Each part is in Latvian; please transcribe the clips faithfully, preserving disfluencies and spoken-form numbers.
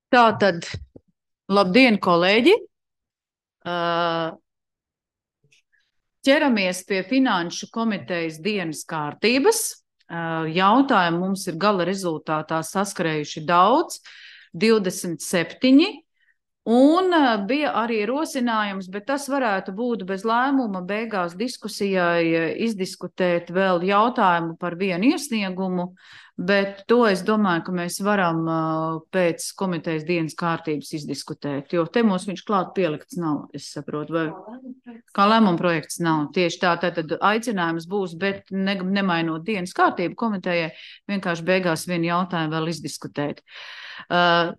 Tātad, labdien, kolēģi! Ķeramies pie Finanšu komitejas dienas kārtības. Jautājumu mums ir gala rezultātā saskarējuši daudz, divdesmit septiņi, un bija arī rosinājums, bet tas varētu būt bez lēmuma beigās diskusijai izdiskutēt vēl jautājumu par vienu iesniegumu, bet to es domāju, ka mēs varam pēc komitejas dienas kārtības izdiskutēt, jo te mums viņš klāt pielikts nav, es saprotu, vai kā lēmuma projekts nav. Tieši tā, tad aicinājums būs, bet ne, nemainot dienas kārtību komitejai, vienkārši beigās vienu jautājumu vēl izdiskutēt. Uh,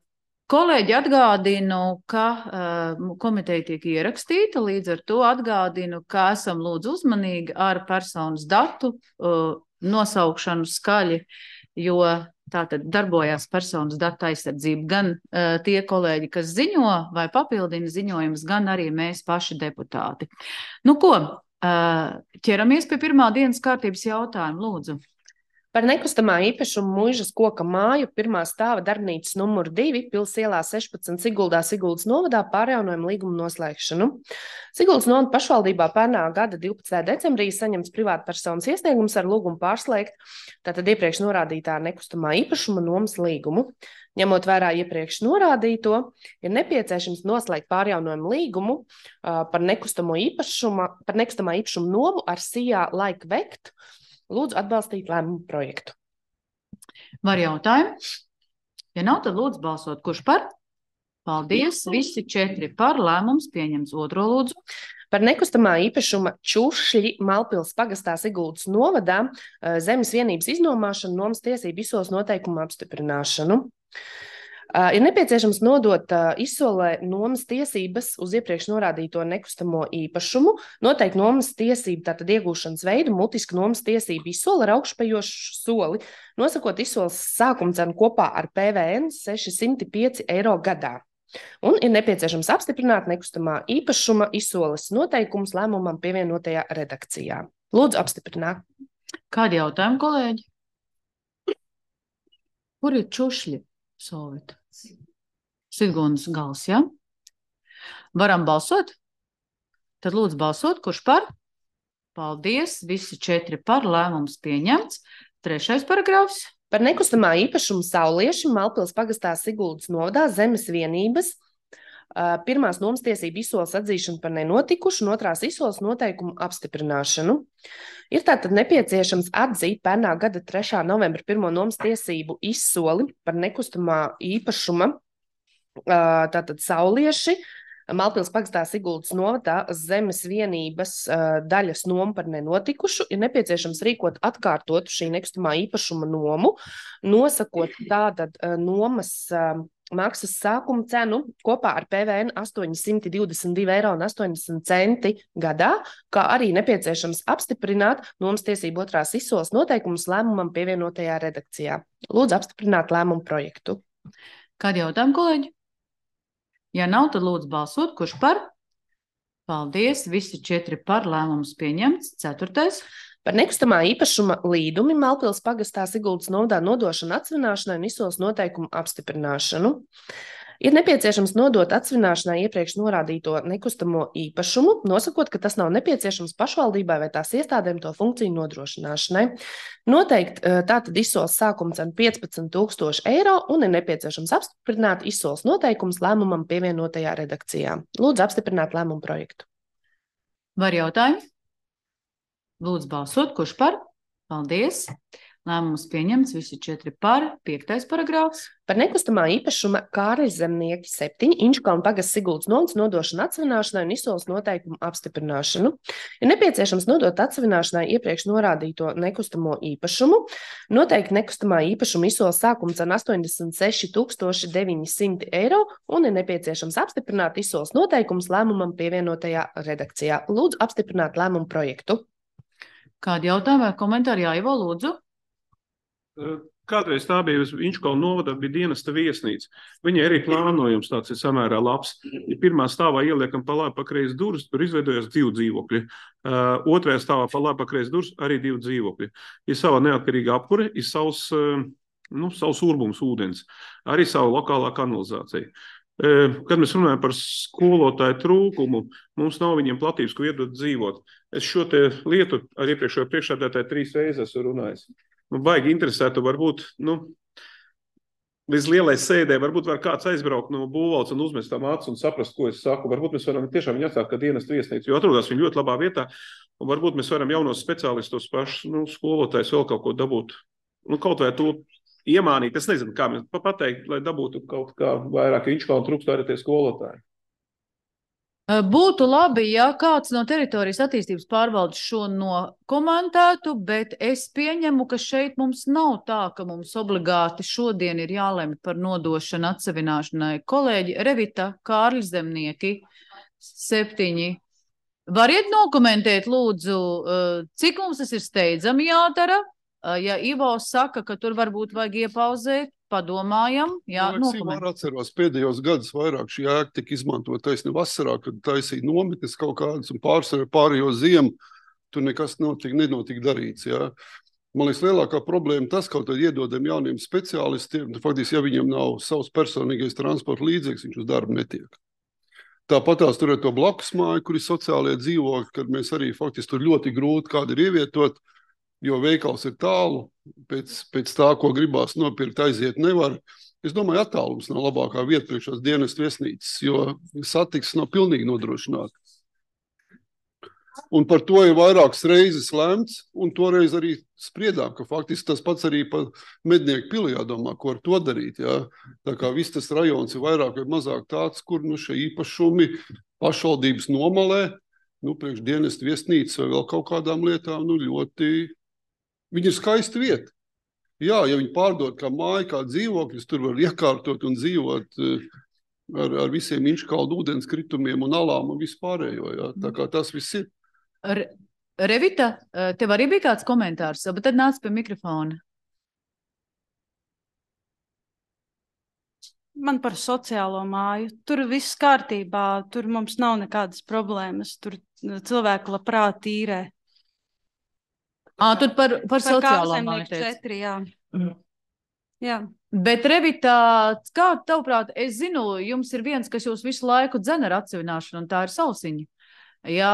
Kolēģi, atgādinu, ka uh, komiteja tiek ierakstīta, līdz ar to atgādinu, ka esam lūdzu uzmanīgi ar personas datu uh, nosaukšanu skaļi, jo tātad darbojās personas datu aizsardzība gan uh, tie kolēģi, kas ziņo vai papildina ziņojumus, gan arī mēs paši deputāti. Nu ko, uh, ķeramies pie pirmā dienas kārtības jautājuma, lūdzu. Par nekustamā īpašuma Muižas koka māju pirmā stāva darbnīcas numuru divi Pils ielā sešpadsmit Siguldā Siguldas novadā pārjaunojumu līgumu noslēgšanu. Siguldas novada pašvaldībā pērnā gada divpadsmitajā decembrī saņemts privātpersonas iesniegums ar lūgumu pārslēgt tātad iepriekš norādītā nekustamā īpašuma nomas līgumu. Ņemot vērā iepriekš norādīto, ir nepieciešams noslēgt pārjaunojumu līgumu uh, par nekustamo īpašuma, par nekustamā īpašuma nomu ar Sijā Like Vekt. Lūdzu atbalstīt lēmumu projektu. Var jautājumi? Ja nav, tad lūdzu balsot. Kurš par? Paldies. Visi četri par. Lēmums pieņems. Otro lūdzu. Par nekustamā īpašuma Čušļi Malpils pagastā Siguldas novadā zemes vienības iznomāšanu nomas tiesību izsoles noteikumu apstiprināšanu. Uh, ir nepieciešams nodot uh, izsolē nomas tiesības uz iepriekš norādīto nekustamo īpašumu, noteikt nomas tiesību tātad iegūšanas veidu, mutisku nomas tiesību izsoli ar augšupejošu soli, nosakot izsoles sākuma cenu kopā ar P V N sešsimt pieci eiro gadā. Un ir nepieciešams apstiprināt nekustamā īpašuma izsoles noteikumus lēmumam pievienotajā redakcijā. Lūdzu apstiprināt. Kādi jautājumi, kolēģi? Kur ir Čušļi? Solvita. Siguldas gals, ja? Varam balsot? Tad lūdzu balsot, kurš par? Paldies, visi četri par, lēmums pieņemts. Trešais paragrāfs. Par nekustamā īpašumu Saulieši Malpils pagastā Siguldas novadā zemes vienības pirmās nomas tiesību izsoles atzīšanu par nenotikušu un otrās izsoles noteikumu apstiprināšanu. Ir tātad nepieciešams atzīt pērnā gada trešā novembra pirmo nomas tiesību izsoli par nekustamā īpašuma tātad Saulieši Malpils pagastā Siguldas novadā zemes vienības daļas nomu par nenotikušu. Ir nepieciešams rīkot atkārtotu šī nekustamā īpašuma nomu, nosakot tātad nomas maksas sākuma cenu kopā ar P V N astoņsimt divdesmit divi eiro un astoņdesmit centi gadā, kā arī nepieciešams apstiprināt nomas tiesību otrās izsoles noteikumus lēmumam pievienotajā redakcijā. Lūdzu apstiprināt lēmumu projektu. Kādi jautājumi, kolēģi? Ja nav, tad lūdzu balsot, kurš par? Paldies, visi četri par, lēmums pieņemts. Ceturtais. Par nekustamā īpašuma līdumi Malpils pagastā Siguldas novadā nodošanu atsvināšanai un izsoles noteikumu apstiprināšanu. Ir nepieciešams nodot atsvināšanai iepriekš norādīto nekustamo īpašumu, nosakot, ka tas nav nepieciešams pašvaldībai vai tās iestādēm to funkciju nodrošināšanai. Noteikt tātad izsoles sākuma cenu piecpadsmit tūkstoši eiro un ir nepieciešams apstiprināt izsoles noteikumus lēmumam pievienotajā redakcijā. Lūdzu apstiprināt lēmumu projektu. Var jautājumi? Lūdzu balsot, kurš par? Paldies. Lēmums pieņemts, visi četri par. Piektais paragrāfs. Par nekustamā īpašuma Kārļa Zemnieki septiņi Inčukalna pagasts Siguldas novads nodošanu atsvināšanai un izsoles noteikumu apstiprināšanu. Ir nepieciešams nodot atsvināšanai iepriekš norādīto nekustamo īpašumu, noteikt nekustamā īpašuma izsoles sākuma cenu astoņdesmit seši tūkstoši deviņi simti eiro un ir nepieciešams apstiprināt izsoles noteikumus lēmumam pievienotajā redakcijā. Lūdzu apstiprināt lēmumu projektu. Kādi jautājumi vai komentāri? Jā, Ivo, lūdzu. Kādreiz tā bija Inčukalna novadā, bija dienesta viesnīca. Viņai arī plānojums tāds ir samērā labs. Ja pirmā stāvā ieliekam pa labi pa kreisi durvis, tur izveidojas divi dzīvokļi. Uh, otrajā stāvā pa labi pa kreisi durvis arī divi dzīvokļi. Ir sava neatkarīga apkure, ir savs uh, nu, savus urbums ūdens, arī savu lokālā kanalizāciju. Kad mēs runājam par skolotāju trūkumu, mums nav viņiem platības, ko iedot dzīvot. Es šo te lietu ar iepriekšējo priekšsēdētāju trīs reizes esmu runājis. Nu, baigi interesētu, varbūt, nu, līdz lielai sēdē, varbūt var kāds aizbraukt no būvvaldes un uzmest tam acis un saprast, ko es saku. Varbūt mēs varam tiešām viņu atstāt kā dienestu viesnīcu, jo atrodas viņi ļoti labā vietā, un varbūt mēs varam jaunos speciālistus pašus, nu, skolotājus vēl kaut ko dabūt. Nu, kaut vai to iemānīt, es nezinu, kā mēs pateikt, lai dabūtu kaut kā vairāk Inčkalnu trūkst arī tie skolotāji. Būtu labi, ja kāds no teritorijas attīstības pārvaldes šo nokomentētu, bet es pieņemu, ka šeit mums nav tā, ka mums obligāti šodien ir jālemj par nodošanu atsevināšanai. Kolēģi Revita, Kārlis Zemnieki, septiņi. Variet nokomentēt, lūdzu, cik mums tas ir steidzami jādara? Ja Ivo saka, ka tur varbūt vajag iepauzēt, padomājam, jā, nokomentēt. Es atceros, pēdējos gadus vairāk šī ēka tika izmantot taisni vasarā, kad taisīja nometnes kaut kādas un pārsvarā pārējo ziemu, tur nekas notika, nenotika darīts, jā. Man liekas, lielākā problēma tas, kaut tad iedodam jauniem speciālistiem, faktiski, ja viņam nav savs personīgais transporta līdzeklis, viņš uz darbu netiek. Tāpat tās tur ir to blakus māju, kur ir sociālie dzīvokļi, kad mēs arī faktiski tur ļoti grūti kādi ir ievietot, jo veikals ir tālu, pēc, pēc tā, ko gribās nopirkt, aiziet nevar. Es domāju, attālums nav labākā vieta priekšās dienestu viesnīcas, jo satiksmes nav pilnīgi nodrošināta. Un par to ir vairākas reizes lemts, un toreiz arī spriedām, ka faktiski tas pats arī pa Mednieku pili jādomā, ko ar to darīt. Jā. Tā kā viss tas rajons ir vairāk vai mazāk tāds, kur nu, šie īpašumi pašvaldības nomalē, nu, priekš dienestu viesnīcas vai vēl kaut kādām lietām, nu, ļoti... Viņa ir skaista vieta. Jā, ja viņi pārdod kā māju, kā dzīvokļus, tur var iekārtot un dzīvot ar, ar visiem Inčkalnu ūdens kritumiem un alām un vispārējo. Jā. Tā kā tas viss ir. Re, Revita, tev arī bija kāds komentārs, bet tad nāc pie mikrofona. Man par sociālo māju. Tur viss kārtībā, tur mums nav nekādas problēmas, tur cilvēki labprāt īrē. Ā, tur par, par, par sociālo māju četri, jā. Mm. Jā. Bet, Revita, kā tavuprāt, es zinu, jums ir viens, kas jūs visu laiku dzen ar atsevināšanu, un tā ir Sausiņa. Jā,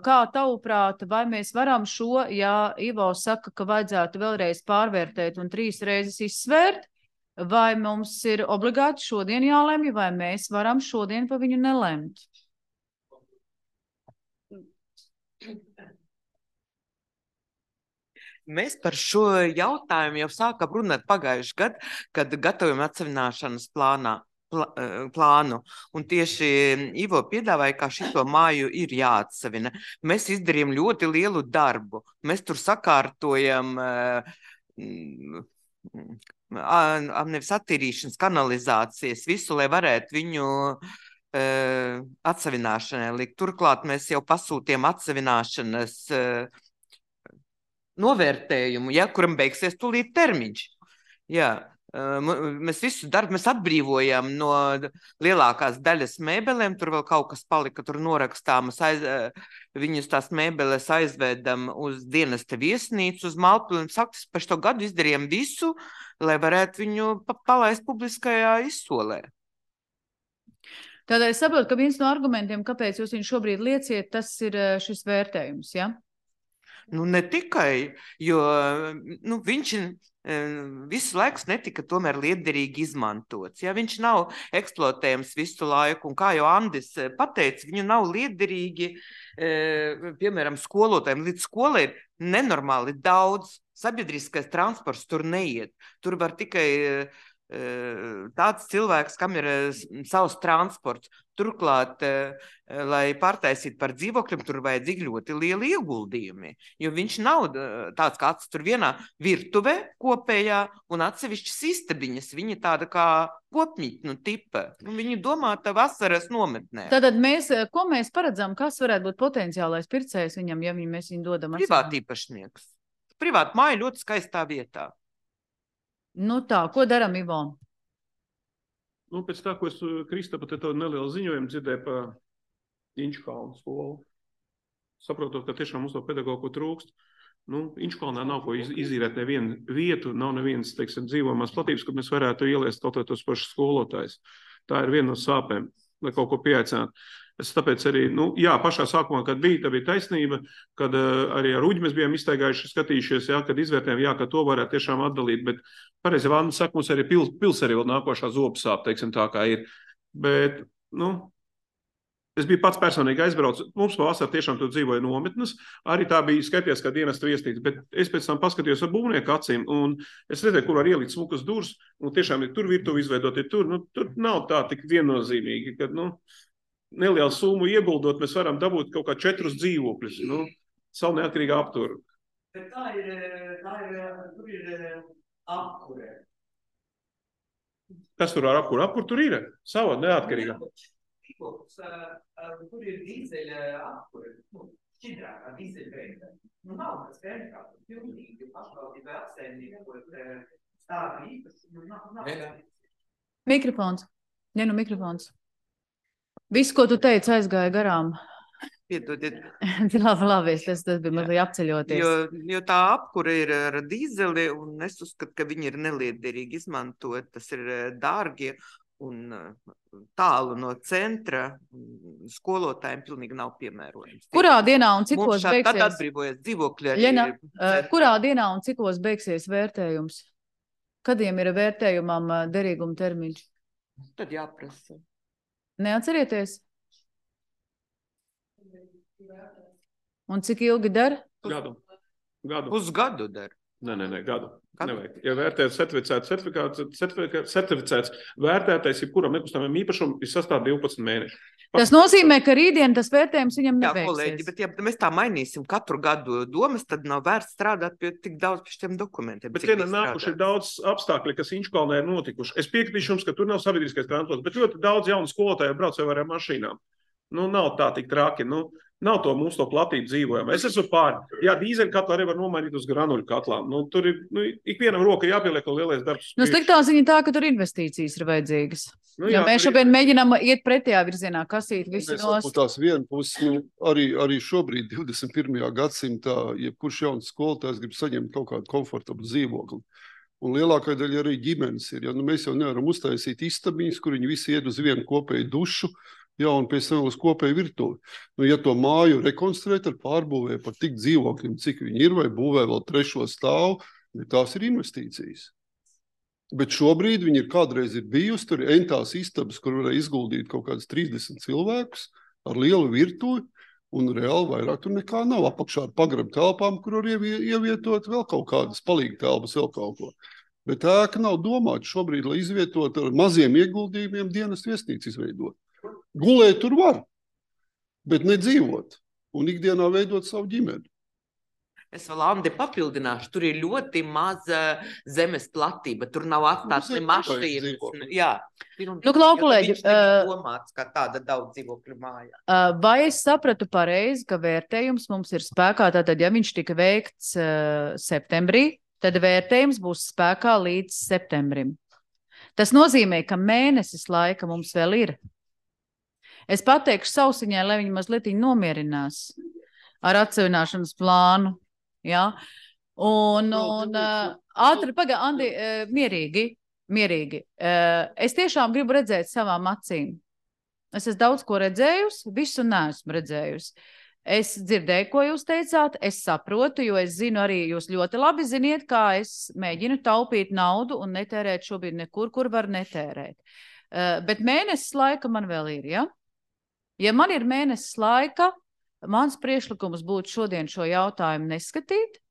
kā tavuprāt, vai mēs varam šo, ja Ivo saka, ka vajadzētu vēlreiz pārvērtēt un trīs reizes izsvērt, vai mums ir obligāti šodien jālemj, vai mēs varam šodien pa viņu nelemt? Mēs par šo jautājumu jau sākam runāt pagājuši gadu, kad gatavojam atsevināšanas plānā, plā, plānu. Un tieši Ivo piedāvāja, kā šito māju ir jāatsevina. Mēs izdarījām ļoti lielu darbu. Mēs tur sakārtojam uh, nevis attīrīšanas kanalizācijas, visu, lai varētu viņu uh, atsevināšanai likt. Turklāt mēs jau pasūtījām atsevināšanas uh, novērtējumu, ja, kuram beigsies tūlīt termiņš. Jā, mēs visu darbu mēs atbrīvojam no lielākās daļas mēbelēm, tur vēl kaut kas palika, tur norakstāmas, aiz, viņus tās mēbeles aizvedam uz dienesta viesnīcu, uz Malpili, un saktas, par šo gadu izdarījām visu, lai varētu viņu palaist publiskajā izsolē. Tādēļ es saprotu, ka viens no argumentiem, kāpēc jūs viņu šobrīd lieciet, tas ir šis vērtējums, ja? Nu, ne tikai, jo nu, viņš visu laiku netika tomēr liederīgi izmantots. Ja? Viņš nav eksploatējams visu laiku, un kā jau Andis pateica, viņu nav liederīgi, piemēram, skolotājiem. Līdz skolai ir nenormāli daudz, sabiedriskais transports tur neiet. Tur var tikai tāds cilvēks, kam ir savs transports. Turklāt, lai pārtaisītu par dzīvokļiem, tur vajadzīgi ļoti lieli ieguldījumi, jo viņš nav tāds kāds tur vienā virtuvē kopējā un atsevišķas istabiņas. Viņa tāda kā kopmītnu tipa. Viņa domāta vasaras nometnē. Tātad mēs, ko mēs paredzam, kas varētu būt potenciālais pircējs viņam, ja viņi, mēs viņu dodam? Privāti īpašnieks. Privāti māja ļoti skaistā vietā. Nu tā, ko daram, Ivo? Nu, pēc tā, ko es Kristapa te tādu nelielu ziņojumu dzirdēju par Inčkalnu skolu, saprotot, ka tiešām mums to pedagogu trūkst, Nu, Inčukalnā nav ko iz, izīrēt nevienu vietu, nav nevienas, teiksim, dzīvojamās platības, kur mēs varētu ieliest kaut tos pašus skolotājus. Tā ir viena no sāpēm, lai kaut ko pieaicinātu. Es tāpēc arī, nu, jā, pašā sākumā, kad bija, tā bija taisnība, kad uh, arī ar Uģi mēs bijām iztaigājuši, skatījušies, jā, kad izvērtējām, jā, ka to varētu tiešām atdalīt, bet pareizi Vanda saka, mums arī pils, pils arī vēl nākošā zobu sāp, teiksim, tā kā ir. Bet, nu, es biju pats personīgi aizbraucis, mums pavasarī tiešām tur dzīvoja nometnes, arī tā bija skaities, kā dienestu viesnīca, bet es pēc tam paskatījos ar būvnieku acīm, un es redzēju, kur var ielikt smukas durvis, un tiešām ir tur virtuvi izveidot, ir tur, nu, tur nav tā tik viennozīmīgi, kad, nu, nelielu summu ieguldot, mēs varam dabūt kaut kā četrus dzīvokļus, nu, savu neatkarīgā apturu. Bet tā ir, tā ir, tur ir apkure. Kas tur ar apkuru? Apkur tur ir, sava neatkarīgā. Tur ir dīzeļa apkure, nu, šķidrākā dīzeļa veida. Nu, nav tas vērtā, pilnīgi pašvaldība apsaimnieka, ko stāvi īpaši, nu, nav, nav. Mikrofons. Ne, nu mikrofons. Viss, ko tu teici, aizgāja garām. Piedodiet. labi, labi, tas, tas bija mazliet apceļoties. Jo, jo tā apkura ir ar dīzeli, un es uzskatu, ka viņi ir neliederīgi izmantot. Tas ir dārgi un tālu no centra. Skolotājiem pilnīgi nav piemērojams. Kurā dienā un cikos šā, beigsies? Tad atbrīvojas dzīvokļi. Ļena, uh, kurā dienā un cikos beigsies vērtējums? Kadiem ir vērtējumam derīguma termiņš? Tad jāprasa. Neatcerieties? Un cik ilgi dara? Gadu. Gadu. Pusgadu dara. Nē, nē, nē, gadu. Nevajag. Ja vērtēt certificēts, certificēts, certificēts vērtētais, jebkuram nekustamajam īpašumam, ir sastāv divpadsmit mēneši. Tas nozīmē, ka rītdien tas vērtējums viņam Jā, nebeigsies. kolēģi, bet ja mēs tā mainīsim katru gadu domas, tad nav vērts strādāt pie tik daudz pie šiem dokumentiem. Bet vienam nākuši ir daudz apstākļi, kas Inčukalnē ir notikuši. Es piekritīšu jums, ka tur nav sabiedriskais transports, bet ļoti daudz jaunu skolotāju brauc jau ar mašīnām. Nu, nav tā tik traki, nu, nav to mums to platību dzīvojam. Es esmu pār. Jā, dīzeļu katlu arī var nomainīt uz granuļu katlām. Nu, tur ir, nu, ikvienam roka jāpieliek un lielais darbs. Nu, sliktā ziņa tā, ka tur investīcijas ir vajadzīgas. Nu, ja jā, mēs šobrīd mēģinām iet pretējā virzienā, kasīt visu Mēs nost. tās viena puses, nu, arī, arī šobrīd, divdesmit pirmajā gadsimtā, jebkurš jauns skolotājs grib saņemt kaut kādu komfortablu dzīvokli. Un lielākā daļa arī ģimenes ir. Ja? Nu, mēs jau nevaram uztaisīt istabiņas, kur viņi visi ied uz vienu kopēju dušu, jā, un pēc tam uz kopēju virtuvi. Nu, ja to māju rekonstruēt ar pārbūvē par tik dzīvokļiem, cik viņi ir, vai būvē vēl trešo stāvu, tās ir investīcijas. Bet šobrīd viņi ir kādreiz ir bijusi, tur ir entās istabas, kur varēja izguldīt kaut kādus trīsdesmit cilvēkus ar lielu virtuvi, un reāli vairāk tur nekā nav apakšā ar pagrabu telpām, kur var ievietot vēl kaut kādas palīga telpas, vēl kaut ko. Bet ēka nav domāta šobrīd, lai izvietot ar maziem ieguldījumiem dienas viesnīcu izveidot. Gulēt tur var, bet nedzīvot un ikdienā veidot savu ģimeni. Es vēl Andi papildināšu, tur ir ļoti maza zemes platība, tur nav atstāts ne mašīnas. Jā. Nu, klau, kolēģi, viņš uh, domāts, kā tāda daudz dzīvokļu mājā. Uh, vai es sapratu pareizi, ka vērtējums mums ir spēkā, tātad, ja viņš tika veikts uh, septembrī, tad vērtējums būs spēkā līdz septembrim. Tas nozīmē, ka mēnesis laika mums vēl ir. Es pateikšu Sausiņai, lai viņi mazliet nomierinās ar atsevināšanas plānu. Ja? Un, un uh, ātri, paga, Andi, uh, mierīgi, mierīgi. Uh, es tiešām gribu redzēt savām acīm. Es esmu daudz ko redzējusi, visu neesmu redzējusi. Es dzirdēju, ko jūs teicāt, es saprotu, jo es zinu arī, jūs ļoti labi ziniet, kā es mēģinu taupīt naudu un netērēt šobrīd nekur, kur var netērēt. Uh, bet mēnesis laika man vēl ir, ja? Ja man ir mēnesis laika, mans priekšlikums būtu šodien šo jautājumu neskatīt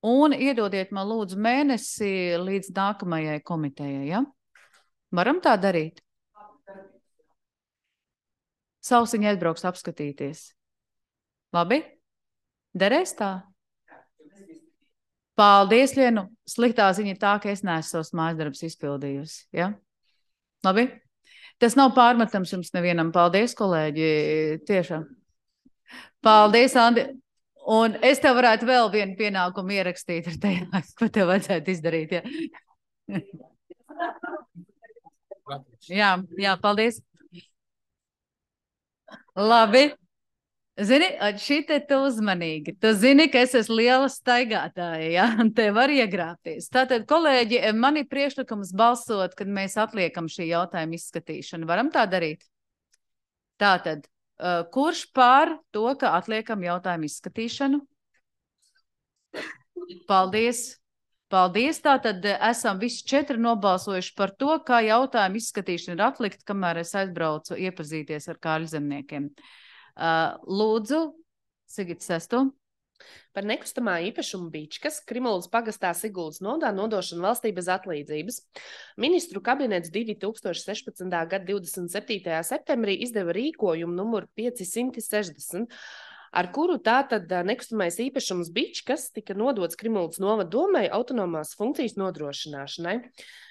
un iedodiet man lūdzu mēnesi līdz nākamajai komitejai, ja? Varam tā darīt? Sausiņa aizbrauks apskatīties. Labi? Derēs tā? Paldies, Lienu. Sliktā ziņa ir tā, ka es neesmu savus mājasdarbus izpildījusi, ja? Labi? Tas nav pārmetams jums nevienam. Paldies, kolēģi, tiešām. Paldies, Andi. Un es tev varētu vēl vienu pienākumu ierakstīt ar tajā, ko tev vajadzētu izdarīt. Ja? jā, jā, paldies. Labi. Zini, šī te tu uzmanīgi. Tu zini, ka es esmu liela staigātāja, ja? Un te var iegrāpties. Tātad, kolēģi, man ir priekšlikums balsot, kad mēs atliekam šī jautājuma izskatīšanu. Varam tā darīt? Tātad, kurš pār to, ka atliekam jautājumu izskatīšanu? Paldies! Paldies! Tātad esam visi četri nobalsojuši par to, kā jautājumu izskatīšana ir atlikt, kamēr es aizbraucu iepazīties ar Kārļu zemniekiem. Lūdzu, Sigita sesto. Par nekustamā īpašuma Bičkas Krimuldas pagastā Siguldas nodā nodošanu valstī bez atlīdzības. Ministru kabinets divi tūkstoši sešpadsmitā gada divdesmit septītajā septembrī izdeva rīkojumu numuru piecsimt sešdesmit, ar kuru tātad nekustamais īpašums Bičkas tika nodots Krimuldas novada domai autonomās funkcijas nodrošināšanai.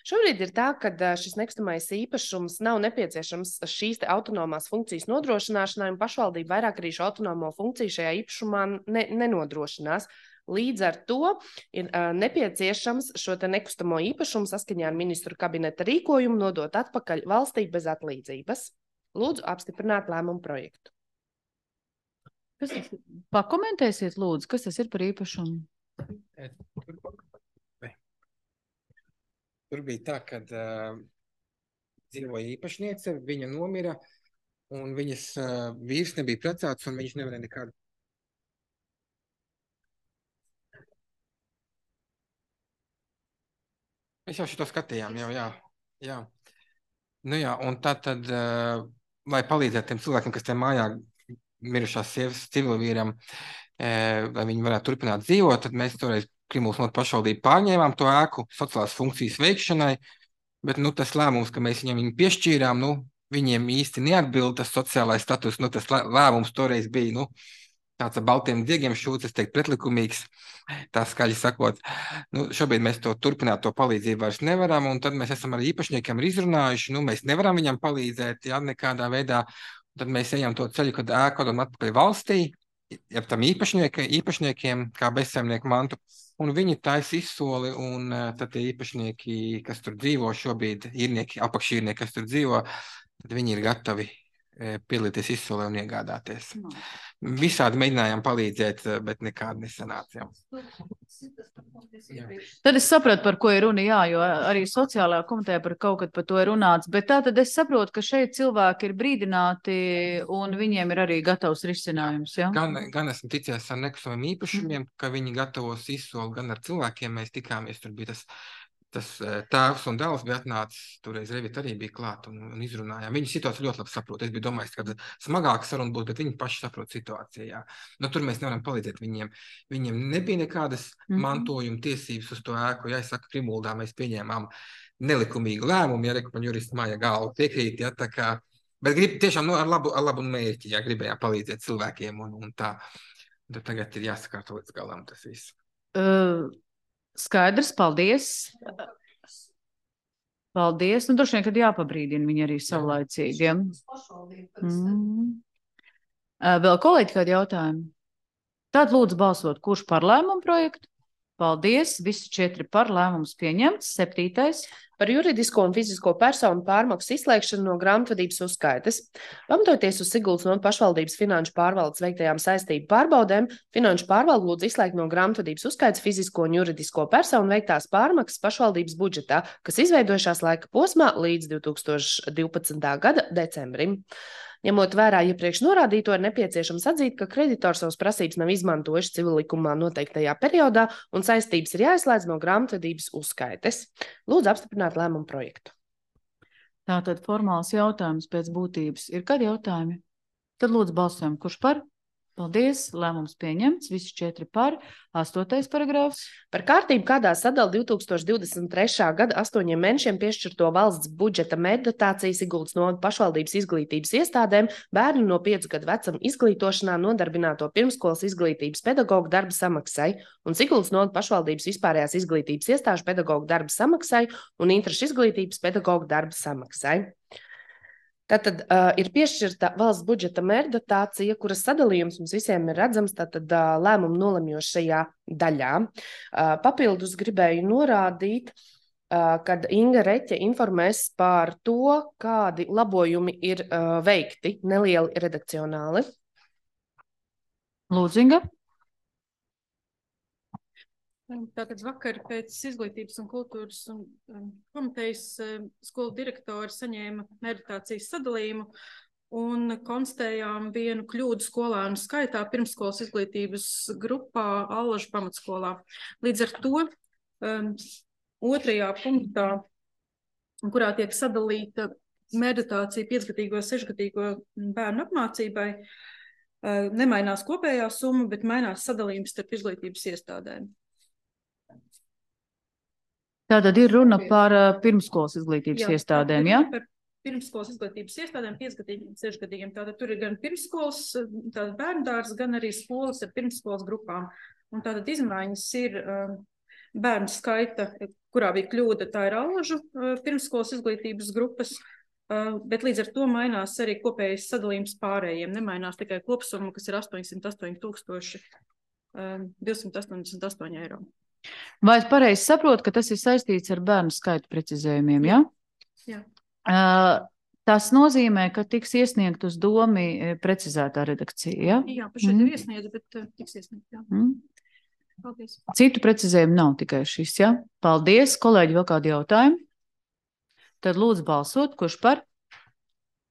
Šobrīd ir tā, ka šis nekustamais īpašums nav nepieciešams šīs te autonomās funkcijas nodrošināšanai, un pašvaldība vairāk arī šo autonomo funkciju šajā īpašumā ne, nenodrošinās. Līdz ar to ir uh, nepieciešams šo te nekustamo īpašumu saskaņā ar ministru kabineta rīkojumu nodot atpakaļ valstī bez atlīdzības. Lūdzu apstiprināt lēmumu projektu. Kas tas ir? Pakomentēsiet, lūdzu, kas tas ir par īpašumu? Tur bija tā, ka uh, dzīvoja īpašniece, viņa nomira, un viņas uh, vīrs nebija precēts, un viņš nevarēja nekādu. Mēs jau šito skatījām, jau, jā. jā. Nu jā, un tā tad, uh, lai palīdzētu tiem cilvēkiem, kas tiem mājā mirušās sievas civilvīram, uh, lai viņi varētu turpināt dzīvot, tad mēs toreiz Krimuldas novada pašvaldību pārņēmām to ēku sociālās funkcijas veikšanai, bet nu, tas lēmums, ka mēs viņam viņu piešķīrām, nu, viņiem īsti neatbild tas sociālais status, nu, tas lēmums toreiz bija, nu, tāds ar baltiem diegiem šūts, es teiktu, pretlikumīgs, tā skaļi sakot. Nu, šobrīd mēs to turpināt, to palīdzību vairs nevaram, un tad mēs esam ar īpašniekiem izrunājuši, nu, mēs nevaram viņam palīdzēt, jā, nekādā veidā, tad mēs ejam to ceļu, kad ēku atdodam atpakaļ valstī, ja tam īpašnieki, īpašniekiem, kā bezsaimnieku mantu, un viņi taisa izsoli, un uh, tad tie īpašnieki, kas tur dzīvo šobrīd, īrnieki, apakšīrnieki, kas tur dzīvo, tad viņi ir gatavi uh, piedalīties izsolē un iegādāties. No. Visādi mēģinājām palīdzēt, bet nekādi nesanāca. Tad es sapratu, par ko ir runa, jā, jo arī sociālajā komitejā par kaut kad par to ir runāts, bet tā tad es saprotu, ka šeit cilvēki ir brīdināti un viņiem ir arī gatavs risinājums, jā? Gan, gan esmu ticies ar nekustamiem īpašumiem, ka viņi gatavos izsoli, gan ar cilvēkiem mēs tikāmies, tur bija tas, tas tēvs un dēls bija atnācis, toreiz Revita arī bija klāt un, un izrunājām. Viņu situāciju ļoti labi saprot. Es biju domājis, ka smagāka saruna būs, bet viņi paši saprot situāciju, jā. Nu, tur mēs nevaram palīdzēt viņiem. Viņiem nebija nekādas mm-hmm. mantojuma tiesības uz to ēku. Ja es saku, Krimuldā mēs pieņēmām nelikumīgu lēmumu, ja reku man juristi māja galvu piekrīt, ja, tā kā, bet grib tiešām nu, ar labu, ar labu mērķi, ja gribējām palīdzēt cilvēkiem un, un tā. Tad tagad ir jāsakārto līdz galam tas viss. Uh... Skaidrs, paldies. Paldies. Nu, droši vien, kad jāpabrīdina viņi arī savlaicīgi. Mm. Vēl kolēģi kādi jautājumi? Tad lūdzu balsot, kurš par lēmumu projektu? Paldies. Visi četri par lēmums pieņemts. Septītais. Par juridisko un fizisko personu pārmaksu izslēgšanu no grāmatvedības uzskaites. Pamatojoties uz Siguldas novada pašvaldības finanšu pārvaldes veiktajām saistību pārbaudēm, finanšu pārvalde lūdz izslēgt no grāmatvedības uzskaites fizisko un juridisko personu veiktās pārmaksas pašvaldības budžetā, kas izveidojušās laika posmā līdz divi tūkstoši divpadsmitā gada decembrim. Ņemot vērā iepriekš norādīto, ir nepieciešams atzīt, ka kreditors savas prasības nav izmantojuši civillikumā noteiktajā periodā un saistības ir jāizslēdz no grāmatvedības uzskaites. Lūdzu apstiprināt lēmumu projektu. Tātad formāls jautājums pēc būtības. Ir kādi jautājumi? Tad lūdzu balsojam, kurš par? Paldies, lēmums pieņemts, visi četri par. Astotais paragrāfs. Par kārtību, kādā sadala divi tūkstoši divdesmit trešā gada astoņiem mēnešiem piešķirto valsts budžeta mērķdotāciju Siguldas novada pašvaldības izglītības iestādēm bērnu no piecu gadu vecuma izglītošanā nodarbināto pirmskolas izglītības pedagoģu darba samaksai un Siguldas novada pašvaldības vispārējās izglītības iestāžu pedagoģu darba samaksai un interešu izglītības pedagoģu darba samaksai. Tātad uh, ir piešķirta valsts budžeta mērķdotācija, kuras sadalījums mums visiem ir redzams, tātad uh, lēmumu nolemjošajā daļā. Uh, papildus gribēju norādīt, uh, kad Inga Reķe informēs par to, kādi labojumi ir uh, veikti, nelieli redakcionāli. Lūdzu, Inga. Tātad vakar pēc izglītības un kultūras un um, komitejas um, skolu direktori saņēma meditācijas sadalījumu un konstatējām vienu kļūdu skolēnu skaitā pirmsskolas izglītības grupā Allažu pamatskolā. Līdz ar to um, otrajā punktā, kurā tiek sadalīta meditācija piecgadīgo, sešgadīgo bērnu apmācībai, uh, nemainās kopējā summa, bet mainās sadalījums starp izglītības iestādēm. Tātad ir runa par uh, pirmskolas izglītības jā, iestādēm, jā? Par pirmskolas izglītības iestādēm, piecgadīgiem, sešgadīgiem. Tātad tur ir gan pirmskolas, tātad bērndārs, gan arī skolas ar pirmskolas grupām. Un tātad izmaiņas ir uh, bērnu skaita, kurā bija kļūda, tā ir Allažu uh, pirmskolas izglītības grupas, uh, bet līdz ar to mainās arī kopējais sadalījums pārējiem. Nemainās tikai kopsumma, kas ir astoņsimt astoņi tūkstoši divsimt astoņdesmit astoņi eiro. Vai es pareizi saprotu, ka tas ir saistīts ar bērnu skaitu precizējumiem, jā? Jā. Uh, tas nozīmē, ka tiks iesniegt uz domi precizētā redakcija, jā? Jā, pašai mm. ir iesniedz, bet uh, tiks iesniegt, jā. Mm. Paldies. Citu precizējumu nav tikai šis, jā? Paldies, kolēģi, vēl kādi jautājumi? Tad lūdzu balsot, kurš par?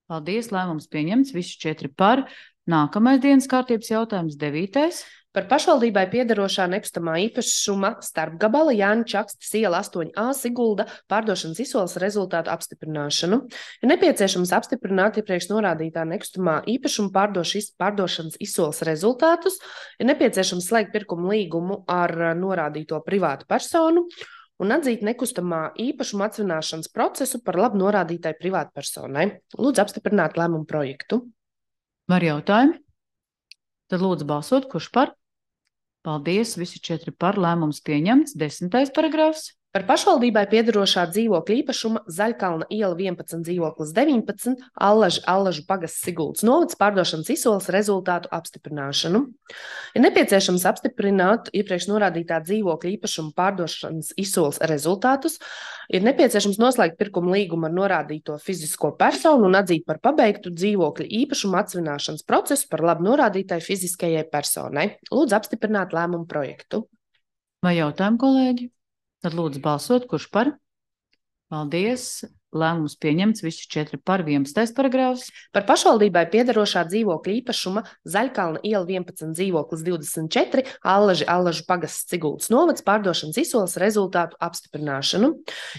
Paldies, lēmums pieņemts, visi četri par. Nākamais dienas kārtības jautājums, devītais. Par pašvaldībai piederošā nekustamā īpašuma starpgabala Jāņa Čakstes iela astoņi A Sigulda pārdošanas izsoles rezultātu apstiprināšanu. Ir nepieciešams apstiprināt iepriekš norādītā nekustamā īpašuma pārdošis, pārdošanas izsoles rezultātus. Ir nepieciešams slēgt pirkumu līgumu ar norādīto privātu personu un atzīt nekustamā īpašuma atsvināšanas procesu par labu norādītai privātu personai. Lūdzu apstiprināt lēmumu projektu. Var jautājumi? Tad lūdzu balsot, kurš par? Paldies, visi četri par, lēmums pieņemts. Desmitais paragrāfs. Par pašvaldībai piederošā dzīvokļa īpašuma Zaļkalna iela vienpadsmit dzīvoklis deviņpadsmit Allažu, Allažu pagasts Siguldas novads pārdošanas izsoles rezultātu apstiprināšanu. Ir nepieciešams apstiprināt iepriekš norādītā dzīvokļa īpašuma pārdošanas izsoles rezultātus. Ir nepieciešams noslēgt pirkumu līgumu ar norādīto fizisko personu un atzīt par pabeigtu dzīvokļa īpašuma atsvināšanas procesu par labu norādītai fiziskajai personai. Lūdzu apstiprināt lēmumu projektu. Vai jautājumi, kolēģi? Tad lūdzu balsot, kurš par? Paldies. Lēmums pieņemts, visi četri par. Vienpadsmitais paragrāfs. Par pašvaldībai piederošā dzīvokļa īpašuma Zaļkalna iela vienpadsmit dzīvoklis divdesmit četri Allaži, Allažu pagasts Siguldas novads pārdošanas izsoles rezultātu apstiprināšanu.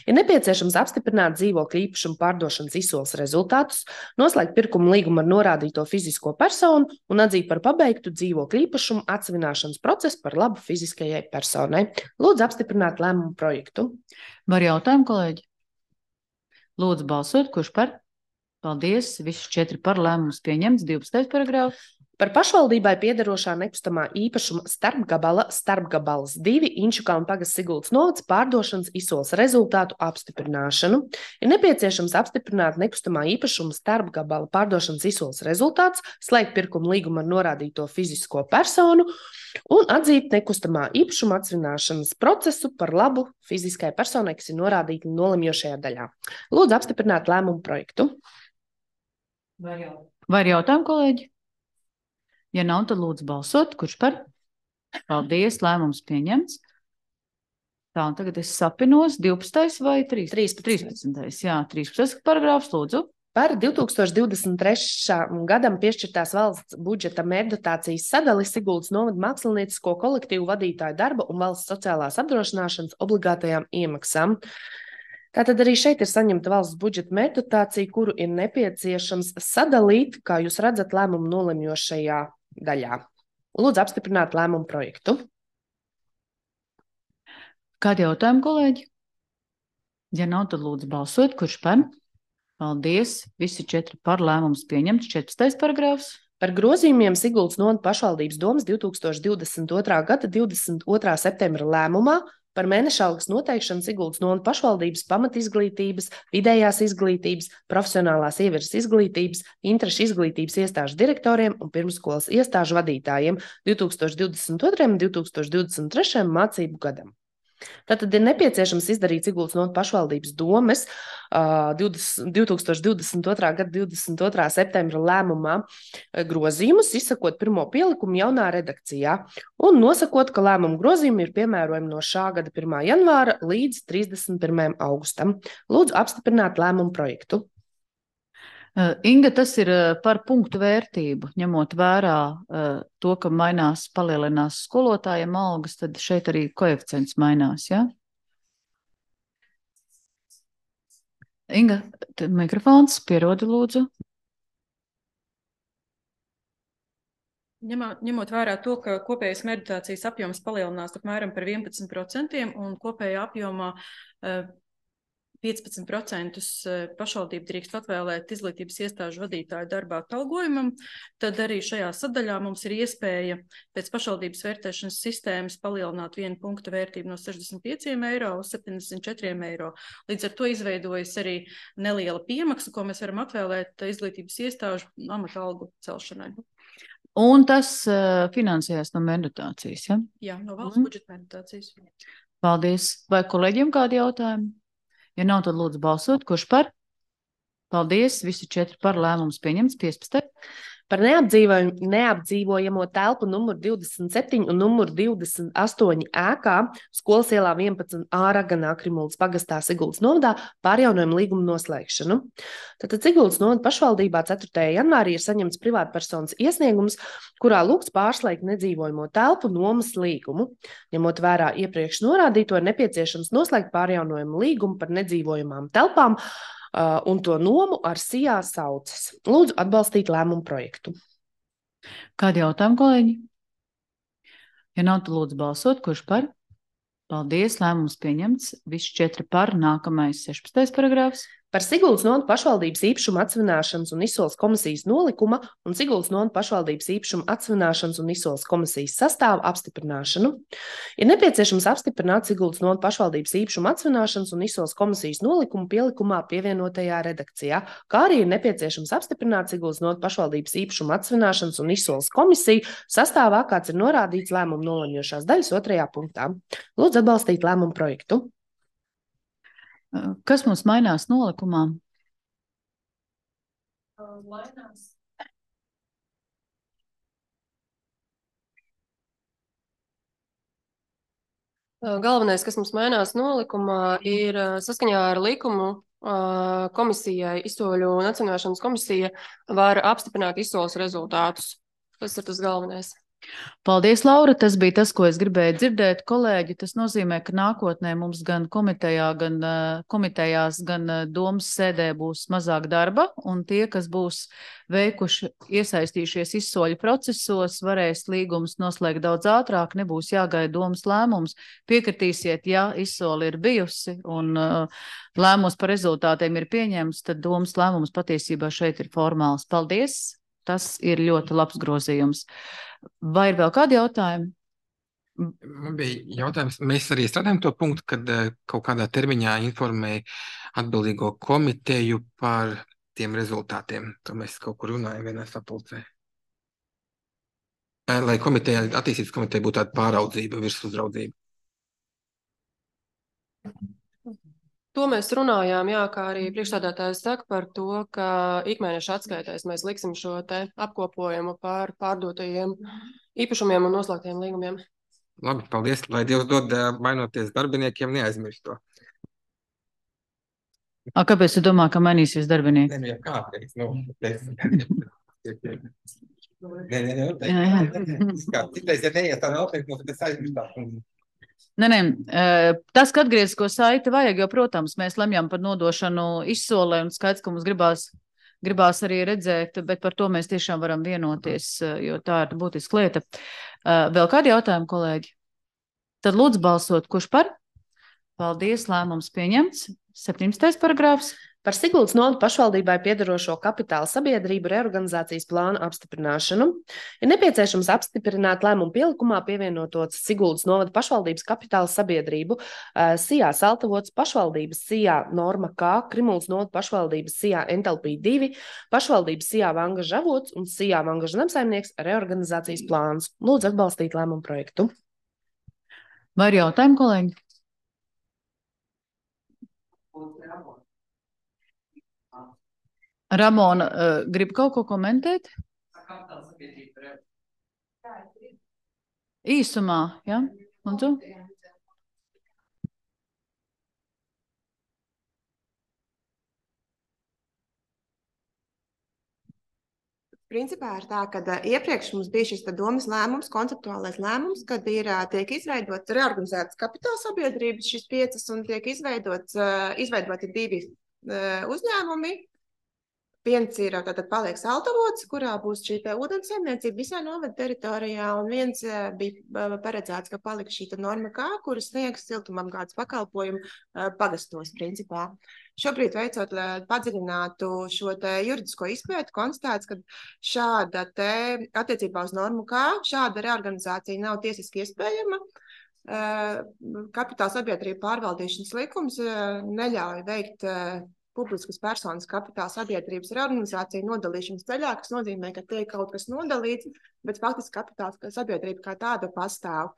Ir nepieciešams apstiprināt dzīvokļa īpašuma pārdošanas izsoles rezultātus, noslēgt pirkumu līgumu ar norādīto fizisko personu un atzīt par pabeigtu dzīvokļa īpašumu atsvināšanas procesu par labu fiziskajai personai. Lūdzu apstiprināt lēmumu projektu. Var jautājumu, kolēģi? Lūdzu balsot, kurš par? Paldies, visi četri par, lēmums pieņemts. divpadsmitais paragrāfs. Par pašvaldībai piederošā nekustamā īpašuma starpgabala starpgabals divi Inčukalna pagasts Siguldas novads pārdošanas izsoles rezultātu apstiprināšanu. Ir nepieciešams apstiprināt nekustamā īpašuma starpgabala pārdošanas izsoles rezultātus, slēgt pirkumu līgumu ar norādīto fizisko personu un atzīt nekustamā īpašuma atsvināšanas procesu par labu fiziskai personai, kas ir norādīta nolemjošajā daļā. Lūdzu apstiprināt lēmumu projektu. Vai jautājumi, kolēģi? Ja nav, tad lūdzu balsot. Kurš par? Paldies, lēmums pieņemts. Tā, un tagad es sapinos. divpadsmitais vai trīspadsmitais? trīspadsmitais, jā, trīspadsmitais paragrāfs, lūdzu. Par divs tūkstoši divdesmit trešajam gadam piešķirtās valsts budžeta mērķdotācijas sadali Siguldas novada māksliniecisko kolektīvu vadītāju darba un valsts sociālās apdrošināšanas obligātajām iemaksām. Tātad arī šeit ir saņemta valsts budžeta mērķdotācija, kuru ir nepieciešams sadalīt, kā jūs redzat, lēmumu nolemjošajā daļā. Lūdzu apstiprināt lēmumu projektu. Kādi jautājumi, kolēģi? Ja nav, tad lūdzu balsot, kurš par? Paldies, visi četri par, lēmums pieņemts. četrpadsmitais paragrāfs. Par grozījumiem Siguldas novada pašvaldības domas divs tūkstoši divdesmit otrā gada divdesmit otrā septembra lēmumā par mēneša algas noteikšanu Siguldas novada pašvaldības pamatizglītības, vidējās izglītības, profesionālās ievirzes izglītības, interešu izglītības iestāžu direktoriem un pirmskolas iestāžu vadītājiem divs tūkstoši divdesmit otrajam un divs tūkstoši divdesmit trešajam mācību gadam. Tātad ir nepieciešams izdarīt Siguldas novada pašvaldības domes uh, divtūkstoš divdesmit otrā gada divdesmit otrā septembra lēmumā grozījumus, izsakot pirmo pielikumu jaunā redakcijā un nosakot, ka lēmumu grozījumi ir piemērojami no šā gada pirmā janvāra līdz trīsdesmit pirmajam augustam. Lūdzu apstiprināt lēmumu projektu. Inga, tas ir par punktu vērtību, ņemot vērā to, ka mainās, palielinās skolotājiem algas, tad šeit arī koeficients mainās, jā? Inga, mikrofons, pierodi lūdzu. Ņemot, ņemot vērā to, ka kopējais meditācijas apjoms palielinās apmēram par vienpadsmit procentiem un kopējā apjomā piecpadsmit procentus pašvaldība drīkst atvēlēt izglītības iestāžu vadītāju darbā atalgojumam, tad arī šajā sadaļā mums ir iespēja pēc pašvaldības vērtēšanas sistēmas palielināt vienu punktu vērtību no sešdesmit pieciem eiro uz septiņdesmit četriem eiro. Līdz ar to izveidojas arī neliela piemaksa, ko mēs varam atvēlēt izglītības iestāžu amata algu celšanai. Un tas uh, finansējās no meditācijas, ja? Jā, no valsts mm. budžeta meditācijas. Paldies. Vai kolēģiem kādi jautājumi? Ja nav, tad lūdzu balsot. Kurš par? Paldies. Visi četri par lēmums pieņemts. piecpadsmit. Par neapdzīvojamo telpu numur divdesmit septiņi un numur divdesmit astoņi ēkā Skolas ielā vienpadsmit A Raganā Krimuldas pagastā Siguldas novadā pārjaunojumu līgumu noslēgšanu. Tātad Siguldas novada pašvaldībā ceturtajā janvārī ir saņemts privātpersonas iesniegums, kurā lūgts pārslēgt nedzīvojamo telpu nomas līgumu. Ņemot vērā iepriekš norādīto, ir nepieciešams noslēgt pārjaunojumu līgumu par nedzīvojamām telpām, Uh, un to nomu ar Sijā saucas. Lūdzu atbalstīt lēmumu projektu. Kādi jautājumi, kolēģi? Ja nav, tad lūdzu balsot. Kurš par? Paldies, lēmums pieņemts. Visi četri par. Nākamais sešpadsmitais paragrāfs. Par Siguldas novada pašvaldības īpašuma atsvināšanas un izsoles komisijas nolikuma un Siguldas novada pašvaldības īpašuma atsvināšanas un izsoles komisijas sastāvu apstiprināšanu. Ir nepieciešams apstiprināt Siguldas novada pašvaldības īpašuma atsvināšanas un izsoles komisijas nolikumu pielikumā pievienotajā redakcijā, kā arī ir nepieciešams apstiprināt Siguldas novada pašvaldības īpašuma atsvināšanas un izsoles komisiju sastāvā, kāds ir norādīts lēmumu nolemjošās daļas otrajā punktā. Lūdzu atbalstīt lēmumu projektu. Kas mums mainās nolikumā? Mainās. Galvenais, kas mums mainās nolikumā, ir saskaņā ar likumu komisijai, izsoļu un atsvināšanas komisija var apstiprināt izsoles rezultātus. Tas ir tas galvenais. Paldies, Laura. Tas bija tas, ko es gribēju dzirdēt, kolēģi. Tas nozīmē, ka nākotnē mums gan komitejā, gan uh, komitejās, gan uh, domas sēdē būs mazāk darba, un tie, kas būs veikuši, iesaistījušies izsoļu procesos, varēs līgumus noslēgt daudz ātrāk, nebūs jāgaida domas lēmums. Piekritīsiet, ja izsoli ir bijusi un uh, lēmums par rezultātiem ir pieņemts, tad domas lēmums patiesībā šeit ir formāls. Paldies! Tas ir ļoti labs grozījums. Vai ir vēl kādi jautājumi? Man bija jautājums, mēs arī strādājam to punktu, kad kaut kādā termiņā informēja atbildīgo komiteju par tiem rezultātiem. To mēs kaut kur runājam vienā sapulcē. Lai komiteja, attīstības komiteja būtu tāda pāraudzība, virsuzraudzība. To mēs runājām, jā, kā arī priekšstādātājs saka par to, ka ikmēneša atskaitēs mēs liksim šo te apkopojumu par pārdotajiem īpašumiem un noslēgtiem līgumiem. Labi, paldies, lai Dievs dod mainoties darbiniekiem, neaizmirst to. A, kāpēc tu domā, ka mainīsies darbinieki? Nē, jā, kāpēc? Nu, nē, nē, nē, nē. Citreiz, ja neies tā noteikti, mums tas aizmirstāt. Nē, nē, tas, ka atgriezisko saiti vajag, jo, protams, mēs lemjam par nodošanu izsolē un skaidrs, ka mums gribās, gribās arī redzēt, bet par to mēs tiešām varam vienoties, jo tā ir būtiska lieta. Vēl kādi jautājumi, kolēģi? Tad lūdzu balsot, kurš par? Paldies, lēmums pieņemts. septiņdesmitais paragrāfs. Par Siguldas novada pašvaldībai piederošo kapitāla sabiedrību reorganizācijas plānu apstiprināšanu ir nepieciešams apstiprināt lēmumu pielikumā pievienotot Siguldas novada pašvaldības kapitāla sabiedrību Sijā Saltavots pašvaldības Sijā Norma K, Krimuldas novada pašvaldības Sijā Entalpī divi, pašvaldības Sijā Vangaža avots un Sijā Vangaža namsaimnieks reorganizācijas plāns. Lūdzu atbalstīt lēmumu projektu. Vai ir jautājumi, kolēģi? Ramona, uh, grib kaut ko komentēt? Īsumā, ja? Lūdzu. Principā ir tā, ka iepriekš mums bija šis domas lēmums, konceptuālais lēmums, kad ir tiek izveidots reorganizētas kapitāla sabiedrības, šis piecas, un tiek izveidots, izveidoti divi uzņēmumi. Viens ir tātad paliek Saltavots, kurā būs šī te ūdens saimniecība visā novada teritorijā, un viens bija paredzēts, ka paliks šī te norma kā, kuras sniegs siltumapgādes pakalpojumu pagastos principā. Šobrīd veicot padziļinātu šo te juridisko izpētu, konstatēts, ka šāda te attiecībā uz normu kā, šāda reorganizācija nav tiesiski iespējama. Kapitāla sabiedrība pārvaldīšanas likums neļauj veikt publiskas personas kapitāla sabiedrības reorganizācija nodalīšanas ceļā, kas nozīmē, ka tiek kaut kas nodalīts, bet faktiski kapitāla sabiedrība kā tāda pastāv.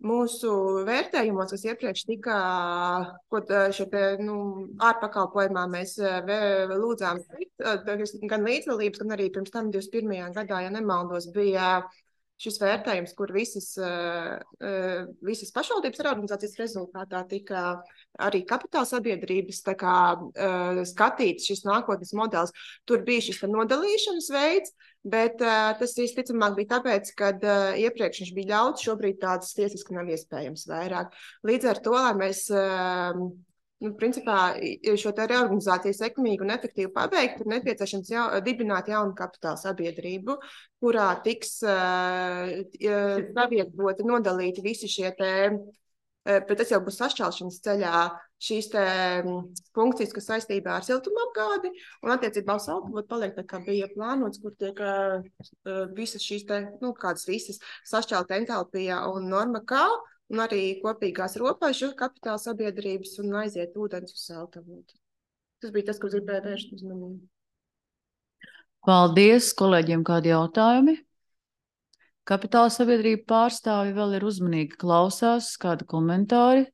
Mūsu vērtējumos, kas iepriekš tika, ko šeit, nu, ārpakalpojumā mēs lūdzām gan līdzdalības, gan arī pirms tam divdesmit pirmajā gadā, ja nemaldos, bija šis vērtējums, kur visas, visas pašvaldības reorganizācijas rezultātā tika arī kapitāla sabiedrības tā kā, skatīts šis nākotnes modelis. Tur bija šis nodalīšanas veids, bet tas visticamāk bija tāpēc, ka iepriekš viņš bija ļauts, šobrīd tāds tiesiski nav iespējams vairāk. Līdz ar to, lai mēs nu, principā šo te reorganizāciju sekmīgi un efektīvi pabeigt, ir nepieciešams jau, dibināt jaunu kapitāla sabiedrību, kurā tiks uh, savietoti, nodalīti visi šie te, bet tas jau būs sašķelšanas ceļā, šīs te funkcijas, kas saistībā ar siltumapgādi, un attiecībā uz Saltavotu paliek tā, kā bija plānots, kur tiek uh, visas šīs te, nu, kādas visas sašķelta entalpija un norma kā, un arī kopīgās robežu kapitāla sabiedrības un aiziet ūdens uz Saltavotu. Tas bija tas, ko gribēju vērst uzmanību. Paldies, kolēģiem, kādi jautājumi? Kapitāla sabiedrība pārstāvi vēl ir uzmanīgi klausās, kādi komentāri?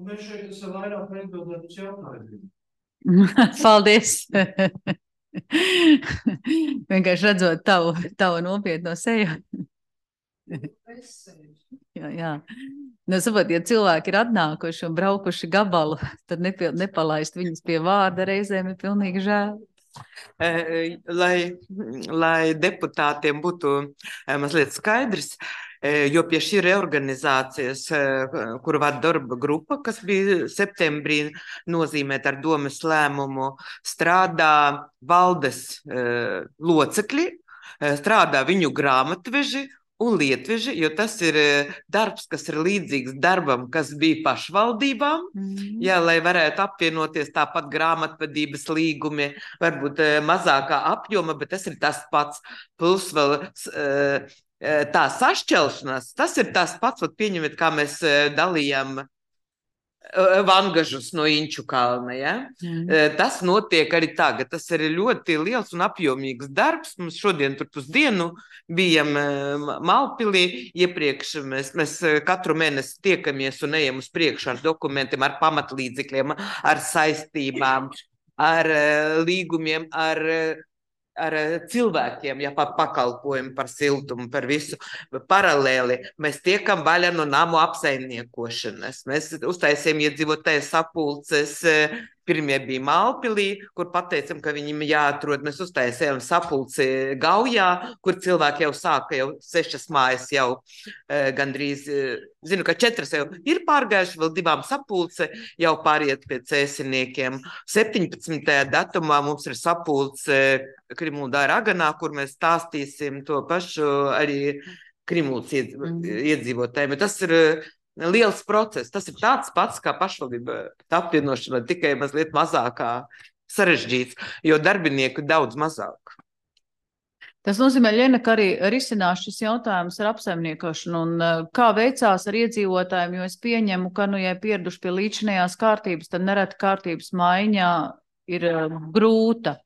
Mēs šeit esam vairāk atbildēt uz jautājumiem. Paldies! Vienkārši redzot tavu, tavu nopietno seju. Jā, jā. Nu, saprot, ja cilvēki ir atnākuši un braukuši gabalu, tad nepie, nepalaist viņus pie vārda reizēm ir pilnīgi žēl. Lai, lai deputātiem būtu mazliet skaidrs, jo pie šī reorganizācijas, kuru vada darba grupa, kas bija septembrī nozīmēt ar domas lēmumu, strādā valdes locekļi, strādā viņu grāmatveži un lietveži, jo tas ir darbs, kas ir līdzīgs darbam, kas bija pašvaldībām, mm. jā, lai varētu apvienoties tāpat grāmatvedības līgumi, varbūt mazākā apjoma, bet tas ir tas pats, plus vēl tā sašķelšanās, tas ir tas pats, pieņemiet, kā mēs dalījām vangažus no Inču kalna, ja? Mm. Tas notiek arī tagad. Tas ir ļoti liels un apjomīgs darbs. Mums šodien tur pusdienu bijam Malpilī. Iepriekš mēs, mēs katru mēnesi tiekamies un ejam uz priekšu ar dokumentiem, ar pamatlīdzekļiem, ar saistībām, ar līgumiem, ar ar cilvēkiem, ja par pakalpojumu, par siltumu, par visu. Paralēli mēs tiekam vaļā no namu apsaimniekošanas. Mēs uztaisījām iedzīvotāju sapulces. Pirmie bija Malpilī, kur pateicam, ka viņiem jāatrod. Mēs uztaisījām sapulci Gaujā, kur cilvēki jau sāka, jau sešas mājas jau e, gandrīz, e, zinu, ka četras jau ir pārgājuši, vēl divām sapulce jau pāriet pie cēsiniekiem. septiņpadsmitajā datumā mums ir sapulce Krimuldā Raganā, kur mēs stāstīsim to pašu arī Krimuldas iedzīvotājiem. Tas ir liels process. Tas ir tāds pats kā pašvaldība apvienošana, tikai mazliet mazākā sarežģīts, jo darbinieku daudz mazāk. Tas nozīmē, Ļena, ka arī risinās šis jautājums ar apsaimniekošanu un kā veicās ar iedzīvotājiem, jo es pieņemu, ka, nu, ja pieraduši pie līdzinējās kārtības, tad nereti kārtības maiņā ir grūta.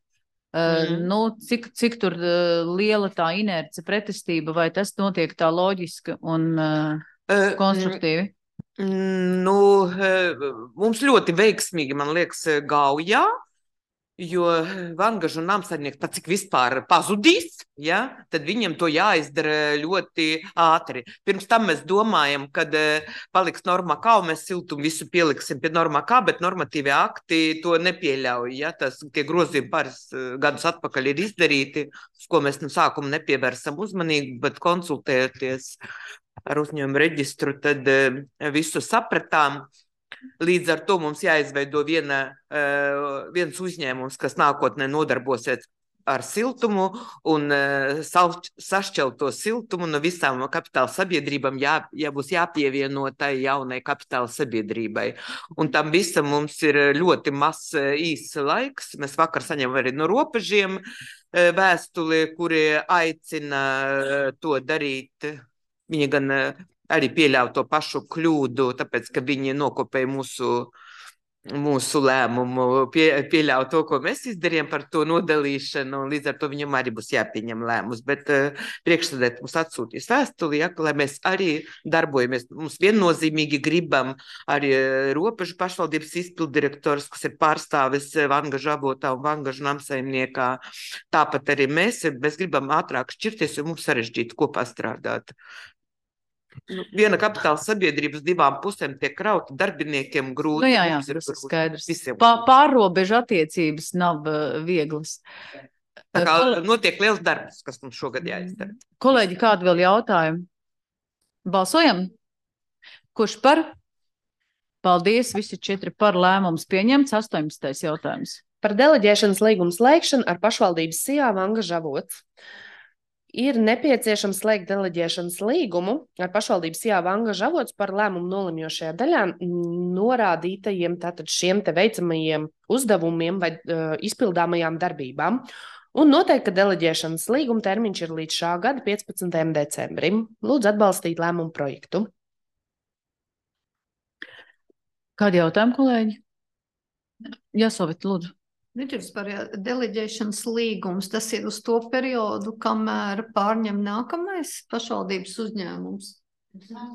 Mm. Nu, cik, cik tur liela tā inerce pretestība, vai tas notiek tā loģiski un konstruktīvi? Nu, mums ļoti veiksmīgi, man liekas, Gaujā, jo Vangažu namsaimnieks pat cik vispār pazudīs, ja, tad viņiem to jāizdara ļoti ātri. Pirms tam mēs domājam, kad paliks Normā K, un mēs siltumu visu pieliksim pie Normā K, bet normatīvie akti to nepieļauj. Ja, tas, tie grozījumi pāris gadus atpakaļ ir izdarīti, uz ko mēs no sākuma nepievērsam uzmanību, bet konsultējoties ar uzņēmumu reģistru, tad visu sapratām. Līdz ar to mums jāizveido viena, viens uzņēmums, kas nākotnē nodarbosies ar siltumu un sašķelt to siltumu no visām kapitāla sabiedrībām, jā, jā būs jāpievieno tai jaunai kapitāla sabiedrībai. Un tam visam mums ir ļoti mazs īss laiks. Mēs vakar saņemam arī no robežiem vēstuli, kuri aicina to darīt. Viņi gan arī pieļauj to pašu kļūdu, tāpēc, ka viņi nokopēja mūsu, mūsu lēmumu, pie, pieļauj to, ko mēs izdarījām par to nodalīšanu, un līdz ar to viņam arī būs jāpieņem lēmums. Bet uh, priekšsēdēt mums atsūtīs vēstuli, ja, lai mēs arī darbojamies. Mums viennozīmīgi gribam arī robežu pašvaldības izpildirektors, kas ir pārstāvis Vangažu avotā un Vangažu namsaimniekā. Tāpat arī mēs, mēs gribam ātrāk šķirties, jo mums sarežģīti kopā strādāt. Viena kapitāla sabiedrības divām pusēm tiek krauta, darbiniekiem grūti. Nu jā, jā, tas ir skaidrs. Pā, pārrobežu attiecības nav uh, vieglas. Tā kā Kol... notiek liels darbs, kas mums šogad jāizdara. Kolēģi, kādu vēl jautājumu? Balsojam? Kurš par? Paldies, visi četri par, lēmums pieņemts. astoņpadsmitais jautājums. Par deleģēšanas līgumu slēgšanu ar pašvaldības sijā Vangažu avots. Ir nepieciešams slēgt deleģēšanas līgumu ar pašvaldības sijā Vangažu avots par lēmumu nolemjošajā daļā norādītajiem tātad šiem te veicamajiem uzdevumiem vai uh, izpildāmajām darbībām. Un noteikti, ka deleģēšanas līguma termiņš ir līdz šā gada piecpadsmitajam decembrim. Lūdzu atbalstīt lēmumu projektu. Kādi jautājumi, kolēģi? Jā, Sovita, lūdzu. Par deleģēšanas līgums, tas ir uz to periodu, kamēr pārņem nākamais pašvaldības uzņēmums.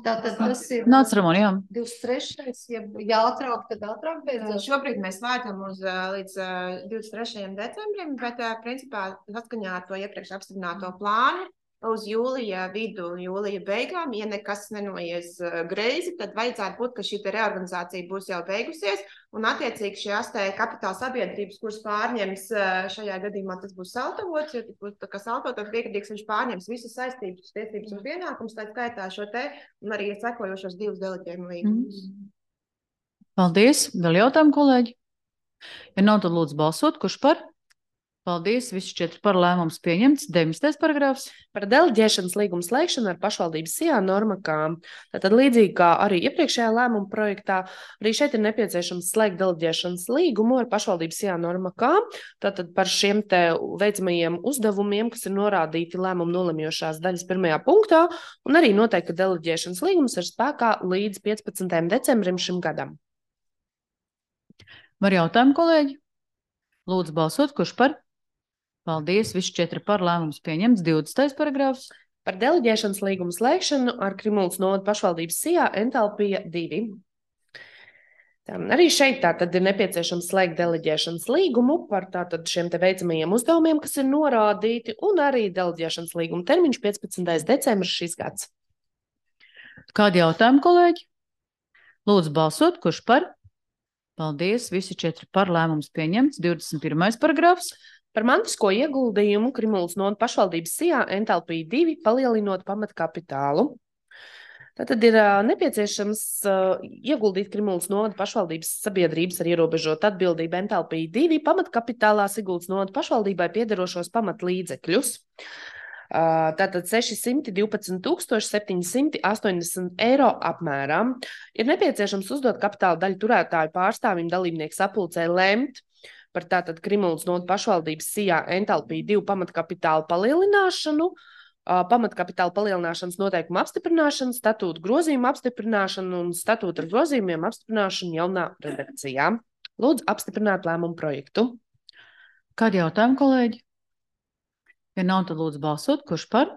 Tātad tas ir Nāc, Ramon, jā. divdesmit trešais, ja jāatrāk, tad ātrāk beidzot. Šobrīd mēs vērtam uz līdz divdesmit trešajam decembrim, bet principā saskaņā ar to iepriekš apstiprināto plānu uz jūlija vidu, jūlija beigām, ja nekas nenoies greizi, tad vajadzētu būt, ka šī reorganizācija būs jau beigusies, un attiecīgi šajās te kapitāla sabiedrības, kuras pārņems šajā gadījumā, tas būs Saltavots, jo tas būs tā kā Saltavots piekritīgs, viņš pārņems visas saistības, tiesības un pienākums, tā skaitā šo te, un arī sekojošos divus deleģējumu līgumus. Mm. Paldies. Vēl jautājumu, kolēģi? Ja nav, tad lūdzu balsot, kurš par? Paldies, visi četri par, lēmums pieņemts. deviņdesmitais paragrāfs. Par deleģēšanas līgumu slēgšanu ar pašvaldības sijā Normā K. Tātad līdzīgi kā arī iepriekšējā lēmuma projektā, arī šeit ir nepieciešams slēgt deleģēšanas līgumu ar pašvaldības sijā Normā K. Tātad par šiem te veicamajiem uzdevumiem, kas ir norādīti lēmumu nolemjošās daļas pirmajā punktā, un arī noteikti, ka deleģēšanas līgums ir spēkā līdz piecpadsmitajam decembrim šim gadam. Var jautājumu, kolēģi? Lūdzu balsot, kurš par? Paldies, visi četri par, lēmums pieņemts. divdesmitais paragrāfs. Par deleģēšanas līgumu slēgšanu ar Krimultas novada pašvaldības sijā Entalpija divi. Tā, arī šeit tātad ir nepieciešams slēgt deleģēšanas līgumu par tātad šiem te veicamajiem uzdevumiem, kas ir norādīti, un arī deleģēšanas līguma termiņš piecpadsmitais decembris šis gads. Kādi jautājumi, kolēģi? Lūdzu balsot, kurš par? Paldies, visi četri par, lēmums pieņemts. divdesmit pirmais paragrāfs. Par mantisko ieguldījumu Krimultas novada pašvaldības sijā Entalpija divi palielinot pamatkapitālu. Tātad ir uh, nepieciešams uh, ieguldīt Krimultas novada pašvaldības sabiedrības ar ierobežotu atbildību Entalpija divi pamatkapitālā Sigultas novada pašvaldībai piederošos pamatlīdzekļus. Uh, tātad sešsimt divpadsmit tūkstoši septiņi simti astoņdesmit eiro apmērā. Ir nepieciešams uzdot kapitāla daļu turētāju pārstāvim dalībnieku sapulcē lemt par tātad Krimultas novada pašvaldības sijā Entalpija divi pamatkapitāla palielināšanu, pamatkapitāla palielināšanas noteikumu apstiprināšanu, statūtu grozījumu apstiprināšanu un statūtu ar grozījumiem apstiprināšanu jaunā redakcijā. Lūdzu apstiprināt lēmumu projektu. Kādi jautājumi, kolēģi? Ja nav, tad lūdzu balsot, kurš par?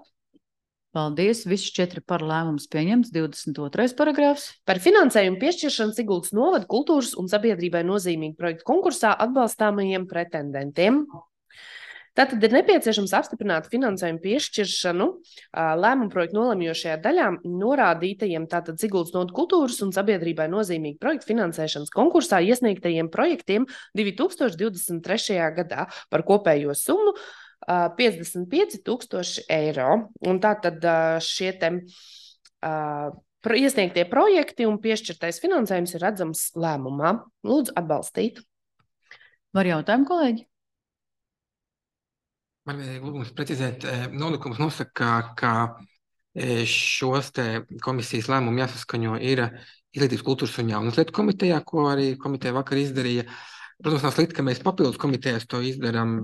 Paldies. Visi četri par lēmums pieņemts. divdesmit otrais paragrāfs. Par finansējumu piešķiršanu Siguldas novada kultūras un sabiedrībai nozīmīgu projektu konkursā atbalstāmajiem pretendentiem. Tātad ir nepieciešams apstiprināt finansējumu piešķiršanu lēmumu projektu nolemjošajā daļā norādītajiem tātad Siguldas novada kultūras un sabiedrībai nozīmīgu projektu finansēšanas konkursā iesniegtajiem projektiem divi tūkstoši divdesmit trešajā gadā par kopējo summu piecdesmit pieci tūkstoši eiro. Un tātad šie te uh, iesniegtie projekti un piešķirtais finansējums ir redzams lēmumā. Lūdzu atbalstīt. Var jautājumu, kolēģi? Man vajag lūgums precizēt, nolikums nosaka, ka šos te komisijas lēmumu jāsaskaņo ir Izglītības, kultūras un jaunas lietu komitejā, ko arī komiteja vakar izdarīja. Protams, nav slikti, ka mēs papildus komitejās to izdarām,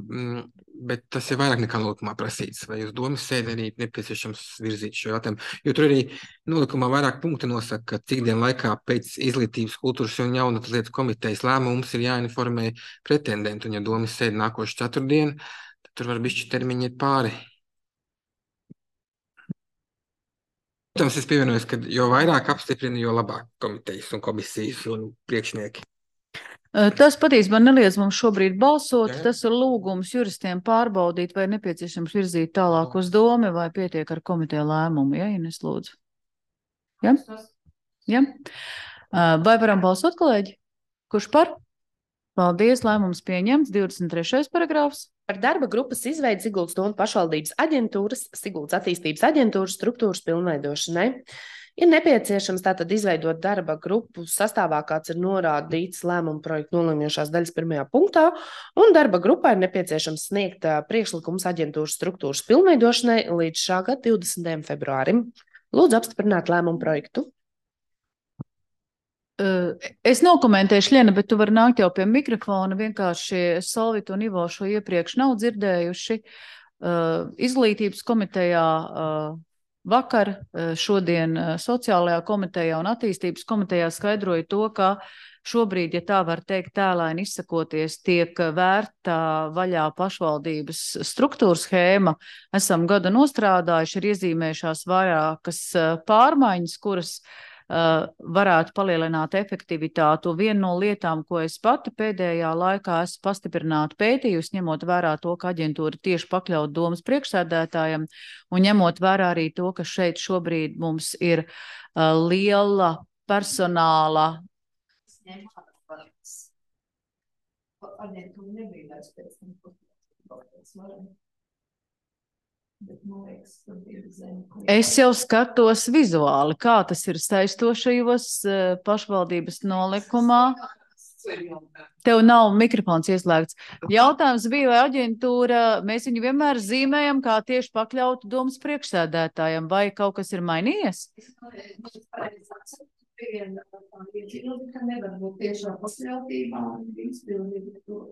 bet tas ir vairāk nekā nolikumā prasīts. Vai uz domas sēdi arī nepieciešams virzīt šo jautājumu? Jo tur arī nolikumā vairāk punkti nosaka, ka cik dienu laikā pēc Izglītības, kultūras un jaunas lietu komitejas lēmums ir jāinformē pretendentu, un ja domas sēdi nākošu ceturtdienu, tad tur var bišķi termiņi iet pāri. Protams, es pievienojos, ka jo vairāk apstiprina, jo labāk komitejas un komisijas un priekšnieki. Tas patiesībā neliedz mums šobrīd balsot. Jā, jā. Tas ir lūgums juristiem pārbaudīt, vai nepieciešams virzīt tālāk uz domu, vai pietiek ar komiteja lēmumu. Ja, Ines, lūdzu. Ja? Ja? Vai varam balsot, kolēģi? Kurš par? Paldies, lēmums pieņemts. divdesmit trešais paragrāfs. Par darba grupas izveidi Siguldas novada pašvaldības aģentūras, Siguldas attīstības aģentūras struktūras pilnveidošanai. Ir nepieciešams tātad izveidot darba grupu sastāvā, kāds ir norādīts lēmumu projektu nolemjošās daļas pirmajā punktā, un darba grupā ir nepieciešams sniegt priekšlikums aģentūras struktūras pilnveidošanai līdz šā gada divdesmitajam februārim. Lūdzu apstiprināt lēmumu projektu. Es nokomentēšu, Ļena, bet tu vari nākt jau pie mikrofona. Vienkārši Solvita un Ivo šo iepriekš nav dzirdējuši. Izglītības komitejā vakar, šodien sociālajā komitejā un attīstības komitejā skaidroja to, ka šobrīd, ja tā var teikt, tēlaini izsakoties, tiek vērta vaļā pašvaldības struktūras schēma. Esam gadu nostrādājuši, ir iezīmējušās vairākas pārmaiņas, kuras Uh, varētu palielināt efektivitātu. Viena no lietām, ko es pati pēdējā laikā esmu pastiprināti pētījusi, ņemot vērā to, ka aģentūra tieši pakļaut domas priekšsēdētājam, un ņemot vērā arī to, ka šeit šobrīd mums ir uh, liela personāla. Aģentūra nebīdās pēc tam. Es jau skatos vizuāli, kā tas ir saistošajos pašvaldības nolikumā. Tev nav mikrofons ieslēgts. Jautājums bija, vai aģentūra, mēs viņu vienmēr zīmējam, kā tieši pakļautu domas priekšsēdētājam, vai kaut kas ir mainījies? Nevar būt tiešā pakļautībā un izpildīt to.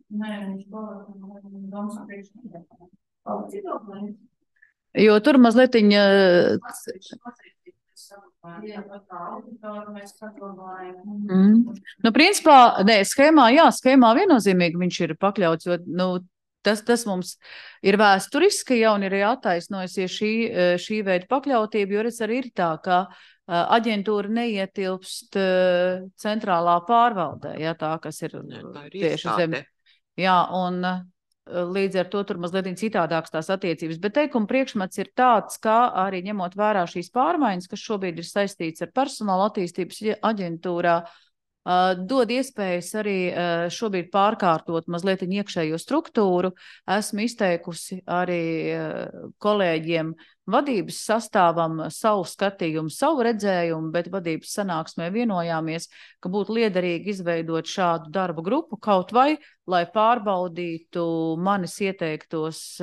Nē, viņš pārāk domas priekšsēdētājam. Jo tur mazliet viņa... Mm. Nu, principā, nē, schēmā, jā, schēmā viennozīmīgi viņš ir pakļauts, jo, nu, tas, tas mums ir vēsturiski, ja, un ir attaisnojusies šī, šī veida pakļautība, jo redz arī ir tā, ka aģentūra neietilpst centrālā pārvaldē, ja, tā, kas ir, jā, ir tieši zem. Jā, un... Līdz ar to tur mazliet citādāks tās attiecības, bet teikuma priekšmets ir tāds, ka arī ņemot vērā šīs pārmaiņas, kas šobrīd ir saistīts ar personāla attīstības aģentūrā, dod iespējas arī šobrīd pārkārtot mazliet iekšējo struktūru. Esmu izteikusi arī kolēģiem vadības sastāvam savu skatījumu, savu redzējumu, bet vadības sanāksmē vienojāmies, ka būtu liederīgi izveidot šādu darba grupu kaut vai, lai pārbaudītu manis ieteiktos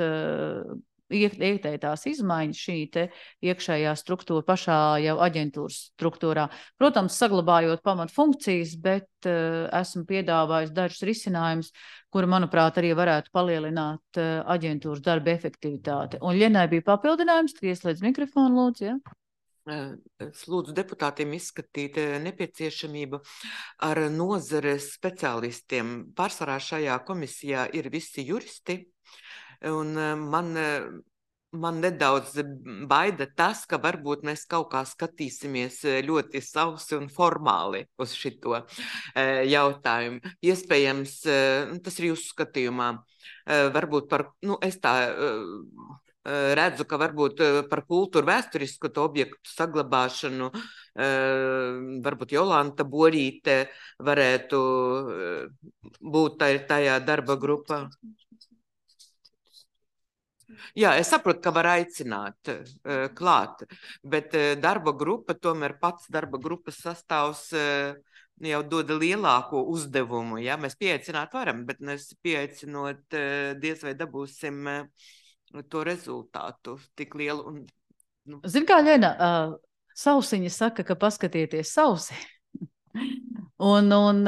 ieteiktās izmaiņas šī te iekšējā struktūra pašā jau aģentūras struktūrā. Protams, saglabājot pamat funkcijas, bet uh, esmu piedāvājis dažus risinājumus, kuri, manuprāt, arī varētu palielināt uh, aģentūras darba efektivitāti. Un Ļenai bija papildinājums, tad ieslēdz mikrofonu, lūdzu, ja? Es lūdzu deputātiem izskatīt nepieciešamību ar nozares speciālistiem. Pārsvarā šajā komisijā ir visi juristi, un man man nedaudz baida tas, ka varbūt mēs kaut kā skatīsimies ļoti sausi un formāli uz šito jautājumu. Iespējams, tas ir jūsu skatījumā, varbūt par, nu, es tā redzu, ka varbūt par kultūru vēsturisku to objektu saglabāšanu varbūt Jolanta Borīte varētu būt tajā darba grupā. Jā, es saprotu, ka var aicināt uh, klāt, bet uh, darba grupa, tomēr pats darba grupas sastāvs uh, jau doda lielāko uzdevumu. Ja? Mēs pieaicināt varam, bet mēs pieaicinot uh, diez vai dabūsim uh, to rezultātu tik lielu. Un, nu. Zin kā, Ļena, uh, Sausiņa saka, ka paskatieties sausi. Un, un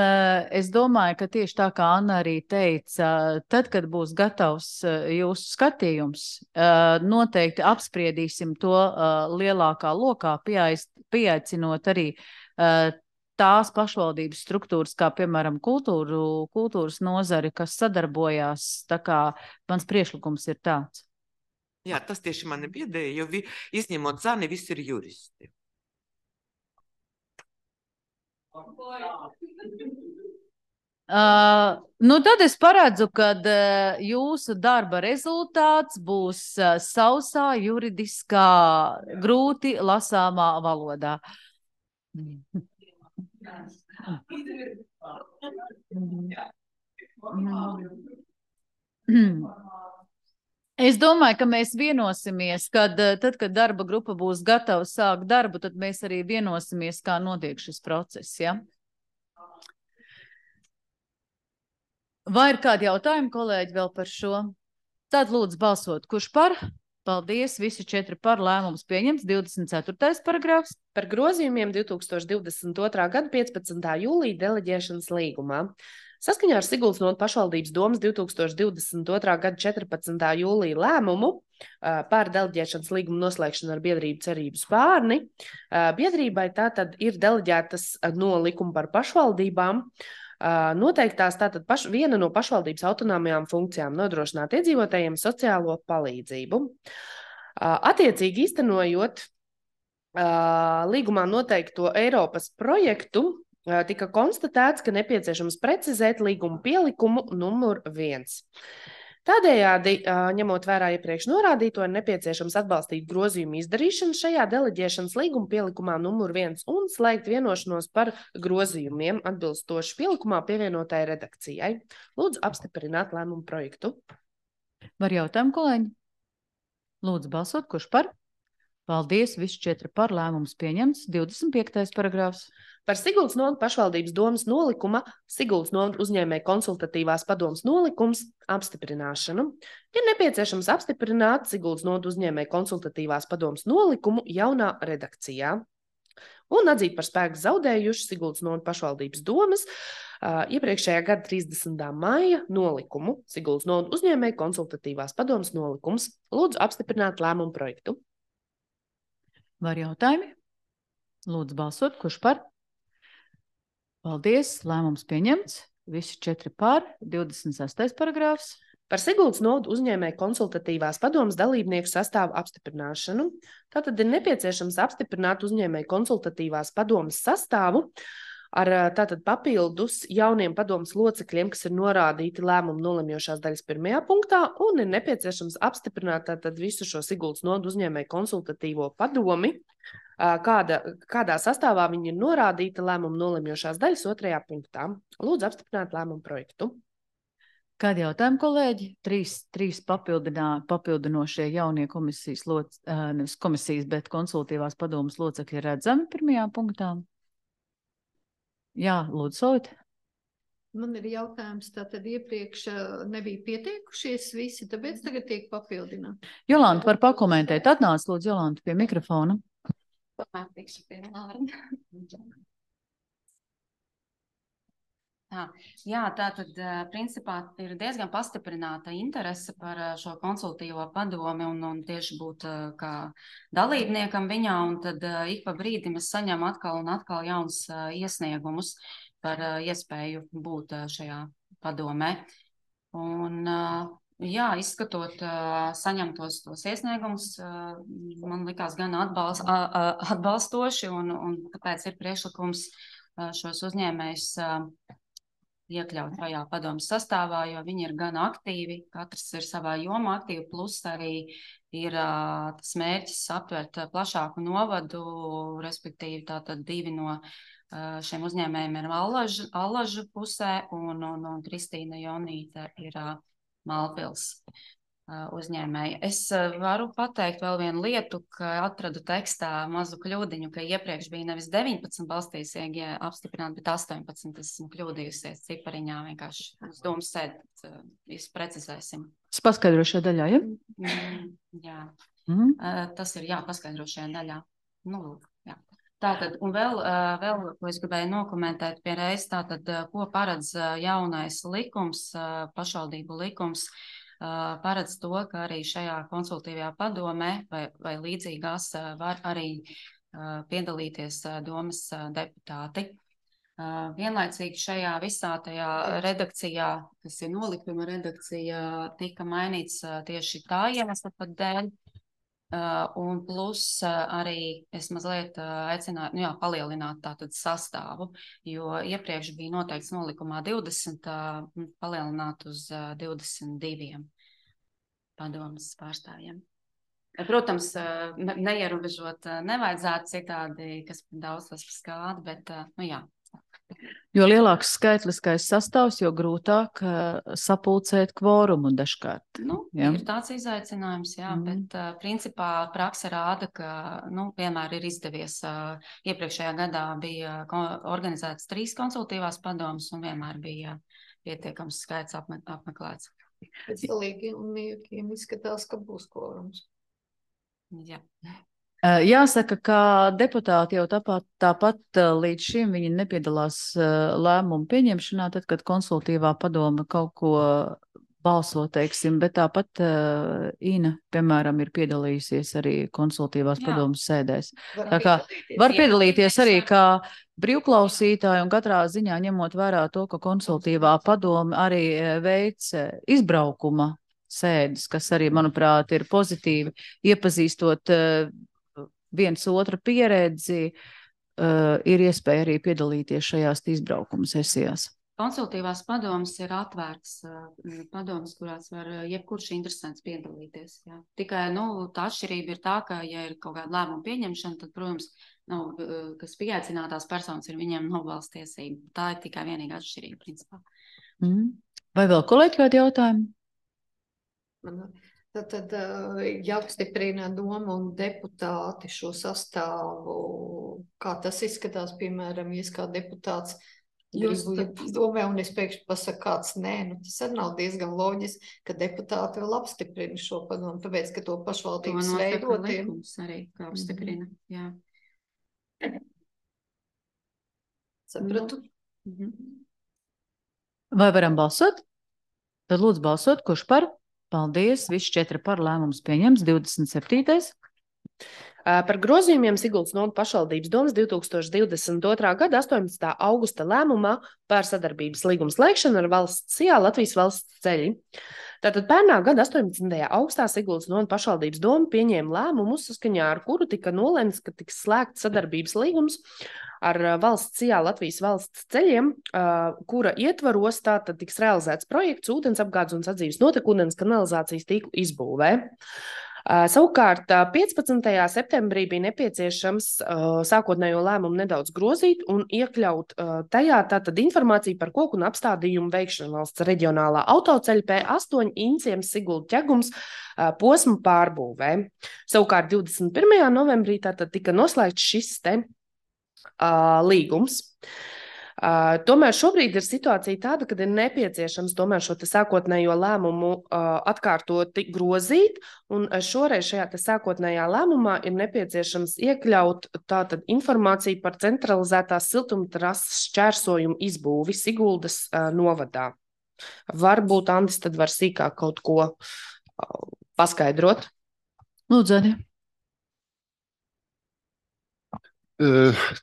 es domāju, ka tieši tā kā Anna arī teica, tad, kad būs gatavs jūsu skatījums, noteikti apspriedīsim to lielākā lokā, pieaicinot arī tās pašvaldības struktūras, kā piemēram kultūru, kultūras nozari, kas sadarbojās. Tā kā mans priekšlikums ir tāds. Jā, tas tieši mani biedēja, jo vi, izņemot Zani, visi ir juristi. Uh, nu tad es paredzu, ka uh, jūsu darba rezultāts būs uh, sausā, juridiskā, grūti lasāmā valodā. Es domāju, ka mēs vienosimies, kad tad, kad darba grupa būs gatava sākt darbu, tad mēs arī vienosimies, kā notiek šis process, ja? Vai ir kādi jautājumi, kolēģi, vēl par šo? Tad lūdzu balsot, kurš par? Paldies, visi četri par, lēmums pieņemts. divdesmit ceturtais paragrāfs. Par grozījumiem divs tūkstoši divdesmit otrā gada piecpadsmitā jūlija deleģēšanas līgumā. Saskaņā ar Siguldas novadas pašvaldības domas divs tūkstoši divdesmit otrā gada četrpadsmitā jūlija lēmumu par deleģēšanas līgumu noslēgšanu ar biedrību Cerību Spārni, biedrībai tātad ir deleģētas no likuma par pašvaldībām noteiktās tātad paš, viena no pašvaldības autonomajām funkcijām nodrošināt iedzīvotājiem sociālo palīdzību. Attiecīgi īstenojot līgumā noteikto Eiropas projektu, tika konstatēts, ka nepieciešams precizēt līguma pielikumu numur viens. Tādējādi, ņemot vērā iepriekš norādīto, ir nepieciešams atbalstīt grozījumu izdarīšanu šajā deleģēšanas līguma pielikumā numur viens un slēgt vienošanos par grozījumiem atbilstoši pielikumā pievienotai redakcijai. Lūdzu apstiprināt lēmumu projektu. Var jautājumu, kolēģi? Lūdzu balsot, kurš par? Paldies, visi četri par, lēmums pieņemts. divdesmit piektais paragrāfs. Par Siguldas novadas pašvaldības domas nolikuma Siguldas novadas uzņēmēju konsultatīvās padomas nolikums apstiprināšanu. Ir nepieciešams apstiprināt Siguldas novadas uzņēmēju konsultatīvās padomas nolikumu jaunā redakcijā un atzīt par spēku zaudējuši Siguldas novadas pašvaldības domas uh, iepriekšējā gada trīsdesmitā maija nolikumu. Siguldas novadas uzņēmēju konsultatīvās padomas nolikums. Lūdzu apstiprināt lēmumu projektu. Var jautājumi? Lūdzu balsot, kurš par? Paldies, lēmums pieņemts. Visi četri par, divdesmit sestais paragrāfs. Par Siguldas novadas uzņēmēju konsultatīvās padomas dalībnieku sastāvu apstiprināšanu. Tātad ir nepieciešams apstiprināt uzņēmēju konsultatīvās padomas sastāvu ar tātad papildus jauniem padomas locekļiem, kas ir norādīti lēmumu nolemjošās daļas pirmajā punktā, un ir nepieciešams apstiprināt tātad visu šo Siguldas novadas uzņēmēju konsultatīvo padomi, kāda, kādā sastāvā viņi ir norādīti lēmumu nolemjošās daļas otrajā punktā. Lūdzu apstiprināt lēmumu projektu. Kādi jautājumi, kolēģi? Trīs, trīs papildinošie jaunie komisijas, loc, nevis komisijas, bet konsultatīvās padomas locekļi redzami pirmajā punktā. Jā, lūdzu, Solvit. Man ir jautājums, tātad iepriekš nebija pieteikušies visi, tāpēc tagad tiek papildināti. Jolanta var pakomentēt. Atnāc, lūdzu, Jolanta, pie mikrofona. Pamētikšu pie vārda. Tā, jā, tā tad principā ir diezgan pastiprināta interese par šo konsultīvo padomi un, un tieši būt kā dalībniekam viņā, un tad ik pa brīdim es saņemu atkal un atkal jauns iesniegumus par iespēju būt šajā padomē. Un Jā, izskatot uh, saņemtos tos iesniegumus, uh, man likās gan atbalst, uh, uh, atbalstoši, un, un tāpēc ir priekšlikums uh, šos uzņēmējus uh, iekļaut šajā padomas sastāvā, jo viņi ir gan aktīvi, katrs ir savā jomā aktīvi, plus arī ir uh, tas mērķis aptvert uh, plašāku novadu, respektīvi tātad divi no uh, šiem uzņēmējiem ir Allažu, Allažu pusē, un, un, un Kristīna Jonīte ir uh, Malpils uh, uzņēmēja. Es uh, varu pateikt vēl vienu lietu, ka atradu tekstā mazu kļūdiņu, ka iepriekš bija nevis deviņpadsmit balstīs I G apstiprināt, bet astoņpadsmit. Esmu kļūdījusies cipariņā, vienkārši uz domu sēd, uh, visu precizēsim. Es paskaidrošu šajā daļā, ja? Mm, jā, mm. uh, tas ir jāpaskaidro šajā daļā. Nu, lūk, jā. Tātad, un vēl, uh, vēl, ko es gribēju nokomentēt pie reiz, tātad, uh, ko paredz uh, jaunais likums, uh, pašvaldību likums, uh, paredz to, ka arī šajā konsultīvajā padomē vai, vai līdzīgās uh, var arī uh, piedalīties uh, domas uh, deputāti. Uh, vienlaicīgi šajā visā tajā redakcijā, kas ir nolikuma redakcija, tika mainīts uh, tieši tā iemesla pat dēļ. Uh, un plus uh, arī es mazliet uh, aicināju, nu jā, palielināt tātad sastāvu, jo iepriekš bija noteikts nolikumā divdesmit, uh, palielināt uz uh, divdesmit diviem padomas pārstāvjiem. Protams, uh, ne, neierobežot uh, nevajadzētu citādi, kas daudz tas skāda, bet, uh, nu jā. Jo lielāks skaitliskais sastāvs, jo grūtāk uh, sapulcēt kvorumu dažkārt. Nu, ja? Ir tāds izaicinājums, jā, mm. bet uh, principā praksa rāda, ka nu, vienmēr ir izdevies. Uh, iepriekšējā gadā bija organizētas trīs konsultīvās padomas un vienmēr bija pietiekams skaits apme apmeklēts. Pēc dalībniekiem izskatās, ka būs kvorums. Jā. Jāsaka, ka deputāti jau tāpat, tāpat līdz šim viņi nepiedalās lēmumu pieņemšanā, tad, kad konsultīvā padoma kaut ko balso, teiksim, bet tāpat uh, Ina, piemēram, ir piedalījusies arī konsultīvās Jā. Padomas sēdēs. Var Tā kā piedalīties, var piedalīties arī kā brīvklausītāji un katrā ziņā ņemot vērā to, ka konsultīvā padoma arī veic izbraukuma sēdes, kas arī, manuprāt, ir pozitīvi iepazīstot uh, viens otra pieredzi, uh, ir iespēja arī piedalīties šajās izbraukuma sesijās. Konsultīvās padomas ir atvērts uh, padomas, kurās var uh, jebkurš interesants piedalīties. Jā. Tikai, nu, tā atšķirība ir tā, ka, ja ir kaut kāda lēmuma pieņemšana, tad, protams, nu, uh, kas pieaicinātās personas ir viņiem nobalsts tiesība. Tā ir tikai vienīga atšķirība, principā. Mm. Vai vēl kolēģi kādi jautājumi? Man... Tad, tad jāapstiprina doma un deputāti šo sastāvu, kā tas izskatās, piemēram, ja es kā deputāts Jūs gribu domē, un es pēkšņi pasaku kāds nē, nu tas arī nav diezgan loģiski, ka deputāti vēl apstiprina šo padomu, tāpēc, ka to pašvaldības veidotiem. Arī, kā apstiprina, jā. Sapratu? Mm-hmm. Vai varam balsot? Tad lūdzu balsot, kurš par? Paldies, visi četri par lēmums pieņems, divdesmit septītais. Par grozījumiem Siguldas novada pašvaldības domas divi tūkstoši divdesmit otrā gada astoņpadsmitā augusta lēmumā par sadarbības līgumu slēgšanu ar valsts C I A Latvijas valsts ceļi. Tātad pērnā gada astoņpadsmitajā augustā Siguldas novada pašvaldības doma pieņēma lēmumu, saskaņā ar kuru tika nolemts, ka tiks slēgts sadarbības līgums ar valsts C I A Latvijas valsts ceļiem, kura ietvaros tātad tiks realizēts projekts ūdens apgādes un sadzīves notekūdens kanalizācijas tīklu izbūvē. Savukārt piecpadsmitajā septembrī bija nepieciešams sākotnējo lēmumu nedaudz grozīt un iekļaut tajā tātad informāciju par koku un apstādījumu veikšanu valsts reģionālā autoceļa P astoņi Inciems Sigulda ķegums posmu pārbūvē. Savukārt divdesmit pirmajā novembrī tātad tika noslēgts šis te Uh, līgums. Uh, tomēr šobrīd ir situācija tāda, kad ir nepieciešams tomēr šo te sākotnējo lēmumu uh, atkārtoti grozīt, un šoreiz šajā te sākotnējā lēmumā ir nepieciešams iekļaut tātad informāciju par centralizētās siltumtrases šķērsojumu izbūvi Siguldas uh, novadā. Varbūt Andis tad var sīkāk kaut ko uh, paskaidrot. Lūdzu, Adi.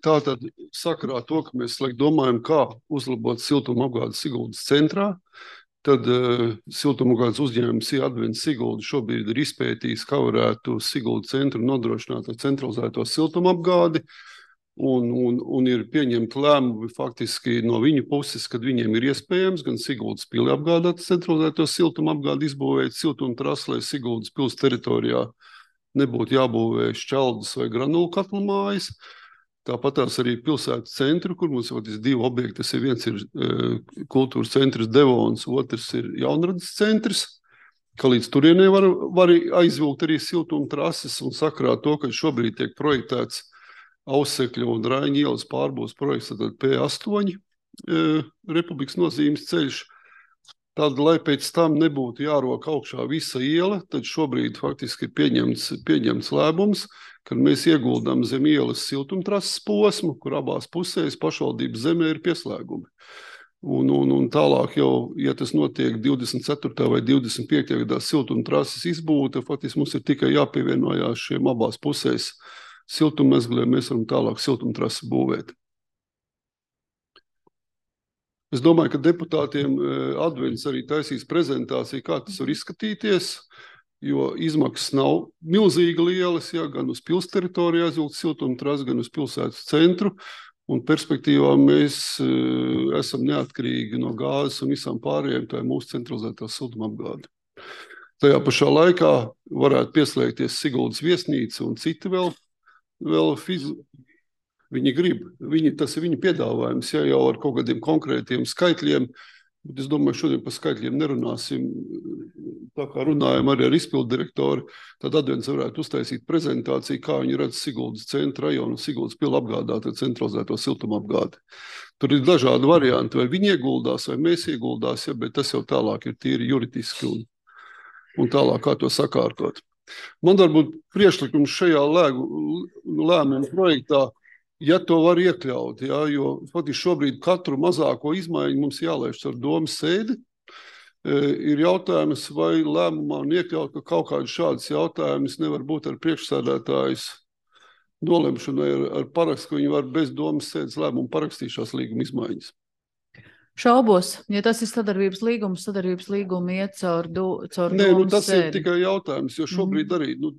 Tātad sakarā to, ka mēs domājam, kā uzlabot siltuma apgādi Siguldas centrā, Tad uh, siltumapgādes uzņēmums Advents Sigulda šobrīd ir izpētījis, kā varētu Sigulda centru nodrošināt ar centralizēto siltumapgādi. Un, un, un ir pieņemti lēmumi faktiski no viņu puses, kad viņiem ir iespējams gan Siguldas pili apgādāt centralizēto siltumapgādi, izbūvēt siltumtrasu, lai Siguldas pils teritorijā nebūtu jābūvē šķeldas vai granulu katlu mājas. Tāpat tās arī pilsētas centru, kur mums ir divi objekti. Tas ir viens ir uh, kultūras centrs Devons, otrs ir Jaunradas centrs, ka līdz turienē var, var aizvilkt arī siltumtrases un sakarā to, ka šobrīd tiek projektēts Ausekļu un Raiņa ielas pārbūves projekts, tad P astoņi e, Republikas nozīmes ceļš. Tad, lai pēc tam nebūtu jārok augšā visa iela, tad šobrīd faktiski ir pieņemts, pieņemts lēmums, kad mēs ieguldām zem ielas siltumtrases posmu, kur abās pusēs pašvaldības zemē ir pieslēgumi. Un, un, un tālāk jau, ja tas notiek divdesmit ceturtajā vai divdesmit piektajā gadā siltumtrases izbūta, faktiski mums ir tikai jāpievienojās šiem abās pusēs siltummezgliem, mēs varam tālāk siltumtrasi būvēt. Es domāju, ka deputātiem Advents arī taisīs prezentāciju, kā tas var izskatīties, jo izmaksas nav milzīgi lielas, ja, gan uz pils teritorijā aizvilkt siltumtrasi, gan uz pilsētas centru, un perspektīvā mēs uh, esam neatkarīgi no gāzes un visām pārējiem, tā ir mūsu centralizētā siltumapgāde. Tajā pašā laikā varētu pieslēgties Siguldas viesnīca un citi vēl Vēl fizi... Viņi grib, viņi, tas ir viņu piedāvājums, ja jau ar kaut kādiem konkrētiem skaitļiem, bet es domāju, šodien par skaitļiem nerunāsim, tā kā runājam arī ar izpildu direktoru, tad Advents varētu uztaisīt prezentāciju, kā viņi redz Siguldas centra rajonu un Siguldas pili apgādāt ar centralizēto siltumapgādi. Tur ir dažādi varianti, vai viņi ieguldās, vai mēs ieguldās, ja, bet tas jau tālāk ir tīri juridiski un, un tālāk kā to sakārtot. Man varbūt priekšlikums šajā lēgu, lēmumu projektā, ja to var iekļaut, ja, jo faktiski šobrīd katru mazāko izmaiņu mums jālaiž ar domas sēdi. E, ir jautājums, vai lēmumā un iekļaut, ka kaut kāds šāds jautājums nevar būt ar priekšsēdētājs nolemšanu ar, ar parakstu, ka viņi var bez domas sēdes lēmumu parakstīšās līguma izmaiņas. Šaubos, ja tas ir sadarbības līgums, sadarbības līguma iet caur, do, caur Nē, nu, tas sēdi. ir tikai jautājums, jo šobrīd mm. arī, nu,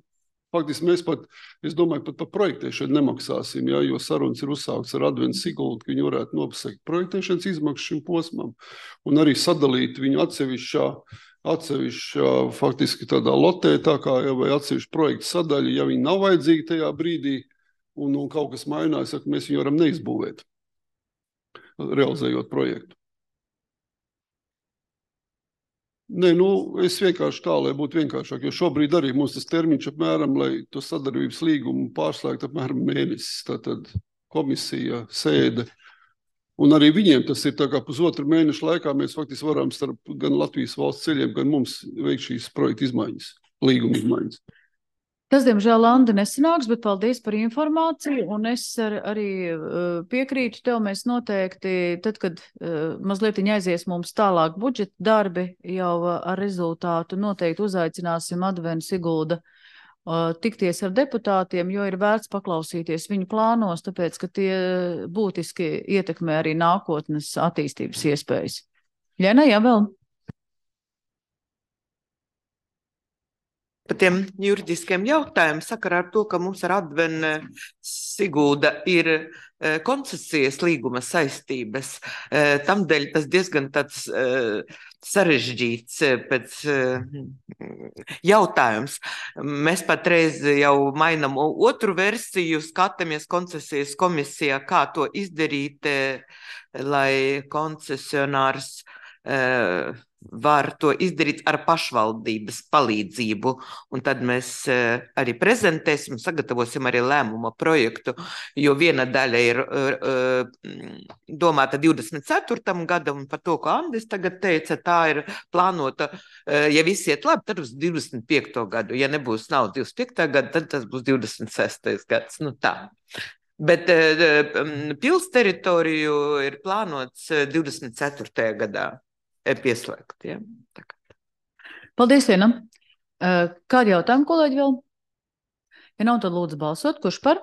faktiski mēs pat, es domāju, pat par projektēšanu nemaksāsim, ja, jo sarunas ir uzsākts ar Advents Siguldu, ka viņi varētu nopasakt projektēšanas izmaksas šim posmam un arī sadalīt viņu atsevišķā, atsevišķā faktiski tādā lotē, tā kā jau vai atsevišķu projektu sadaļu, ja viņi nav vajadzīgi tajā brīdī un, un kaut kas mainās, ja mēs viņu varam neizbūvēt, realizējot projektu. Nē, nu, es vienkārši tā, lai būtu vienkāršāk, jo šobrīd arī mums tas termiņš apmēram, lai to sadarbības līgumu pārslēgt apmēram mēnesis, tātad komisija, sēde. Un arī viņiem tas ir tā kā pusotru mēnešu laikā mēs faktiski varam starp gan Latvijas valsts ceļiem, gan mums veikt šīs projekta izmaiņas, līguma izmaiņas. Tas, diemžēl, Andi, nesanāks, bet paldies par informāciju, un es ar, arī uh, piekrītu tev, mēs noteikti, tad, kad uh, mazliet aizies mums tālāk budžeta darbi, jau uh, ar rezultātu noteikti uzaicināsim Advents Sigulda uh, tikties ar deputātiem, jo ir vērts paklausīties viņu plānos, tāpēc, ka tie būtiski ietekmē arī nākotnes attīstības iespējas. Ļena, jā, vēl? Par tiem juridiskiem jautājumiem sakarā ar to, ka mums ar Advents Sigulda ir koncesijas līguma saistības. Tamdēļ tas diezgan tāds sarežģīts pēc jautājums. Mēs patreiz jau mainam otru versiju, skatāmies koncesijas komisijā, kā to izdarīt, lai koncesionārs var to izdarīt ar pašvaldības palīdzību. Un tad mēs arī prezentēsim, sagatavosim arī lēmuma projektu, jo viena daļa ir domāta divdesmit ceturtajam gadam, un par to, ko Andis tagad teica, tā ir plānota, ja viss iet labi, tad uz divdesmit piekto gadu. Ja nebūs nav divdesmit piektā gada, tad tas būs divdesmit sestais gads. Nu tā. Bet pils teritoriju ir plānots divdesmit ceturtajā gadā pieslēgt. Ja? Paldies, Liena. Kādi jautājumi, kolēģi, vēl? Ja nav, tad lūdzu balsot. Kurš par?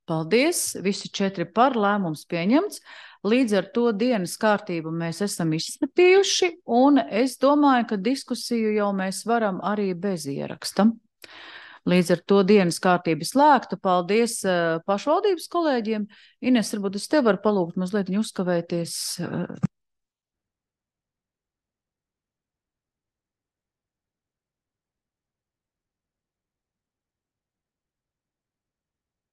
Paldies. Visi četri par. Lēmums pieņemts. Līdz ar to dienas kārtību mēs esam izskatījuši, un es domāju, ka diskusiju jau mēs varam arī bez ieraksta. Līdz ar to dienas kārtība slēgta. Paldies pašvaldības kolēģiem. Ines, varbūt es tev varu palūgt mazliet uzkavēties.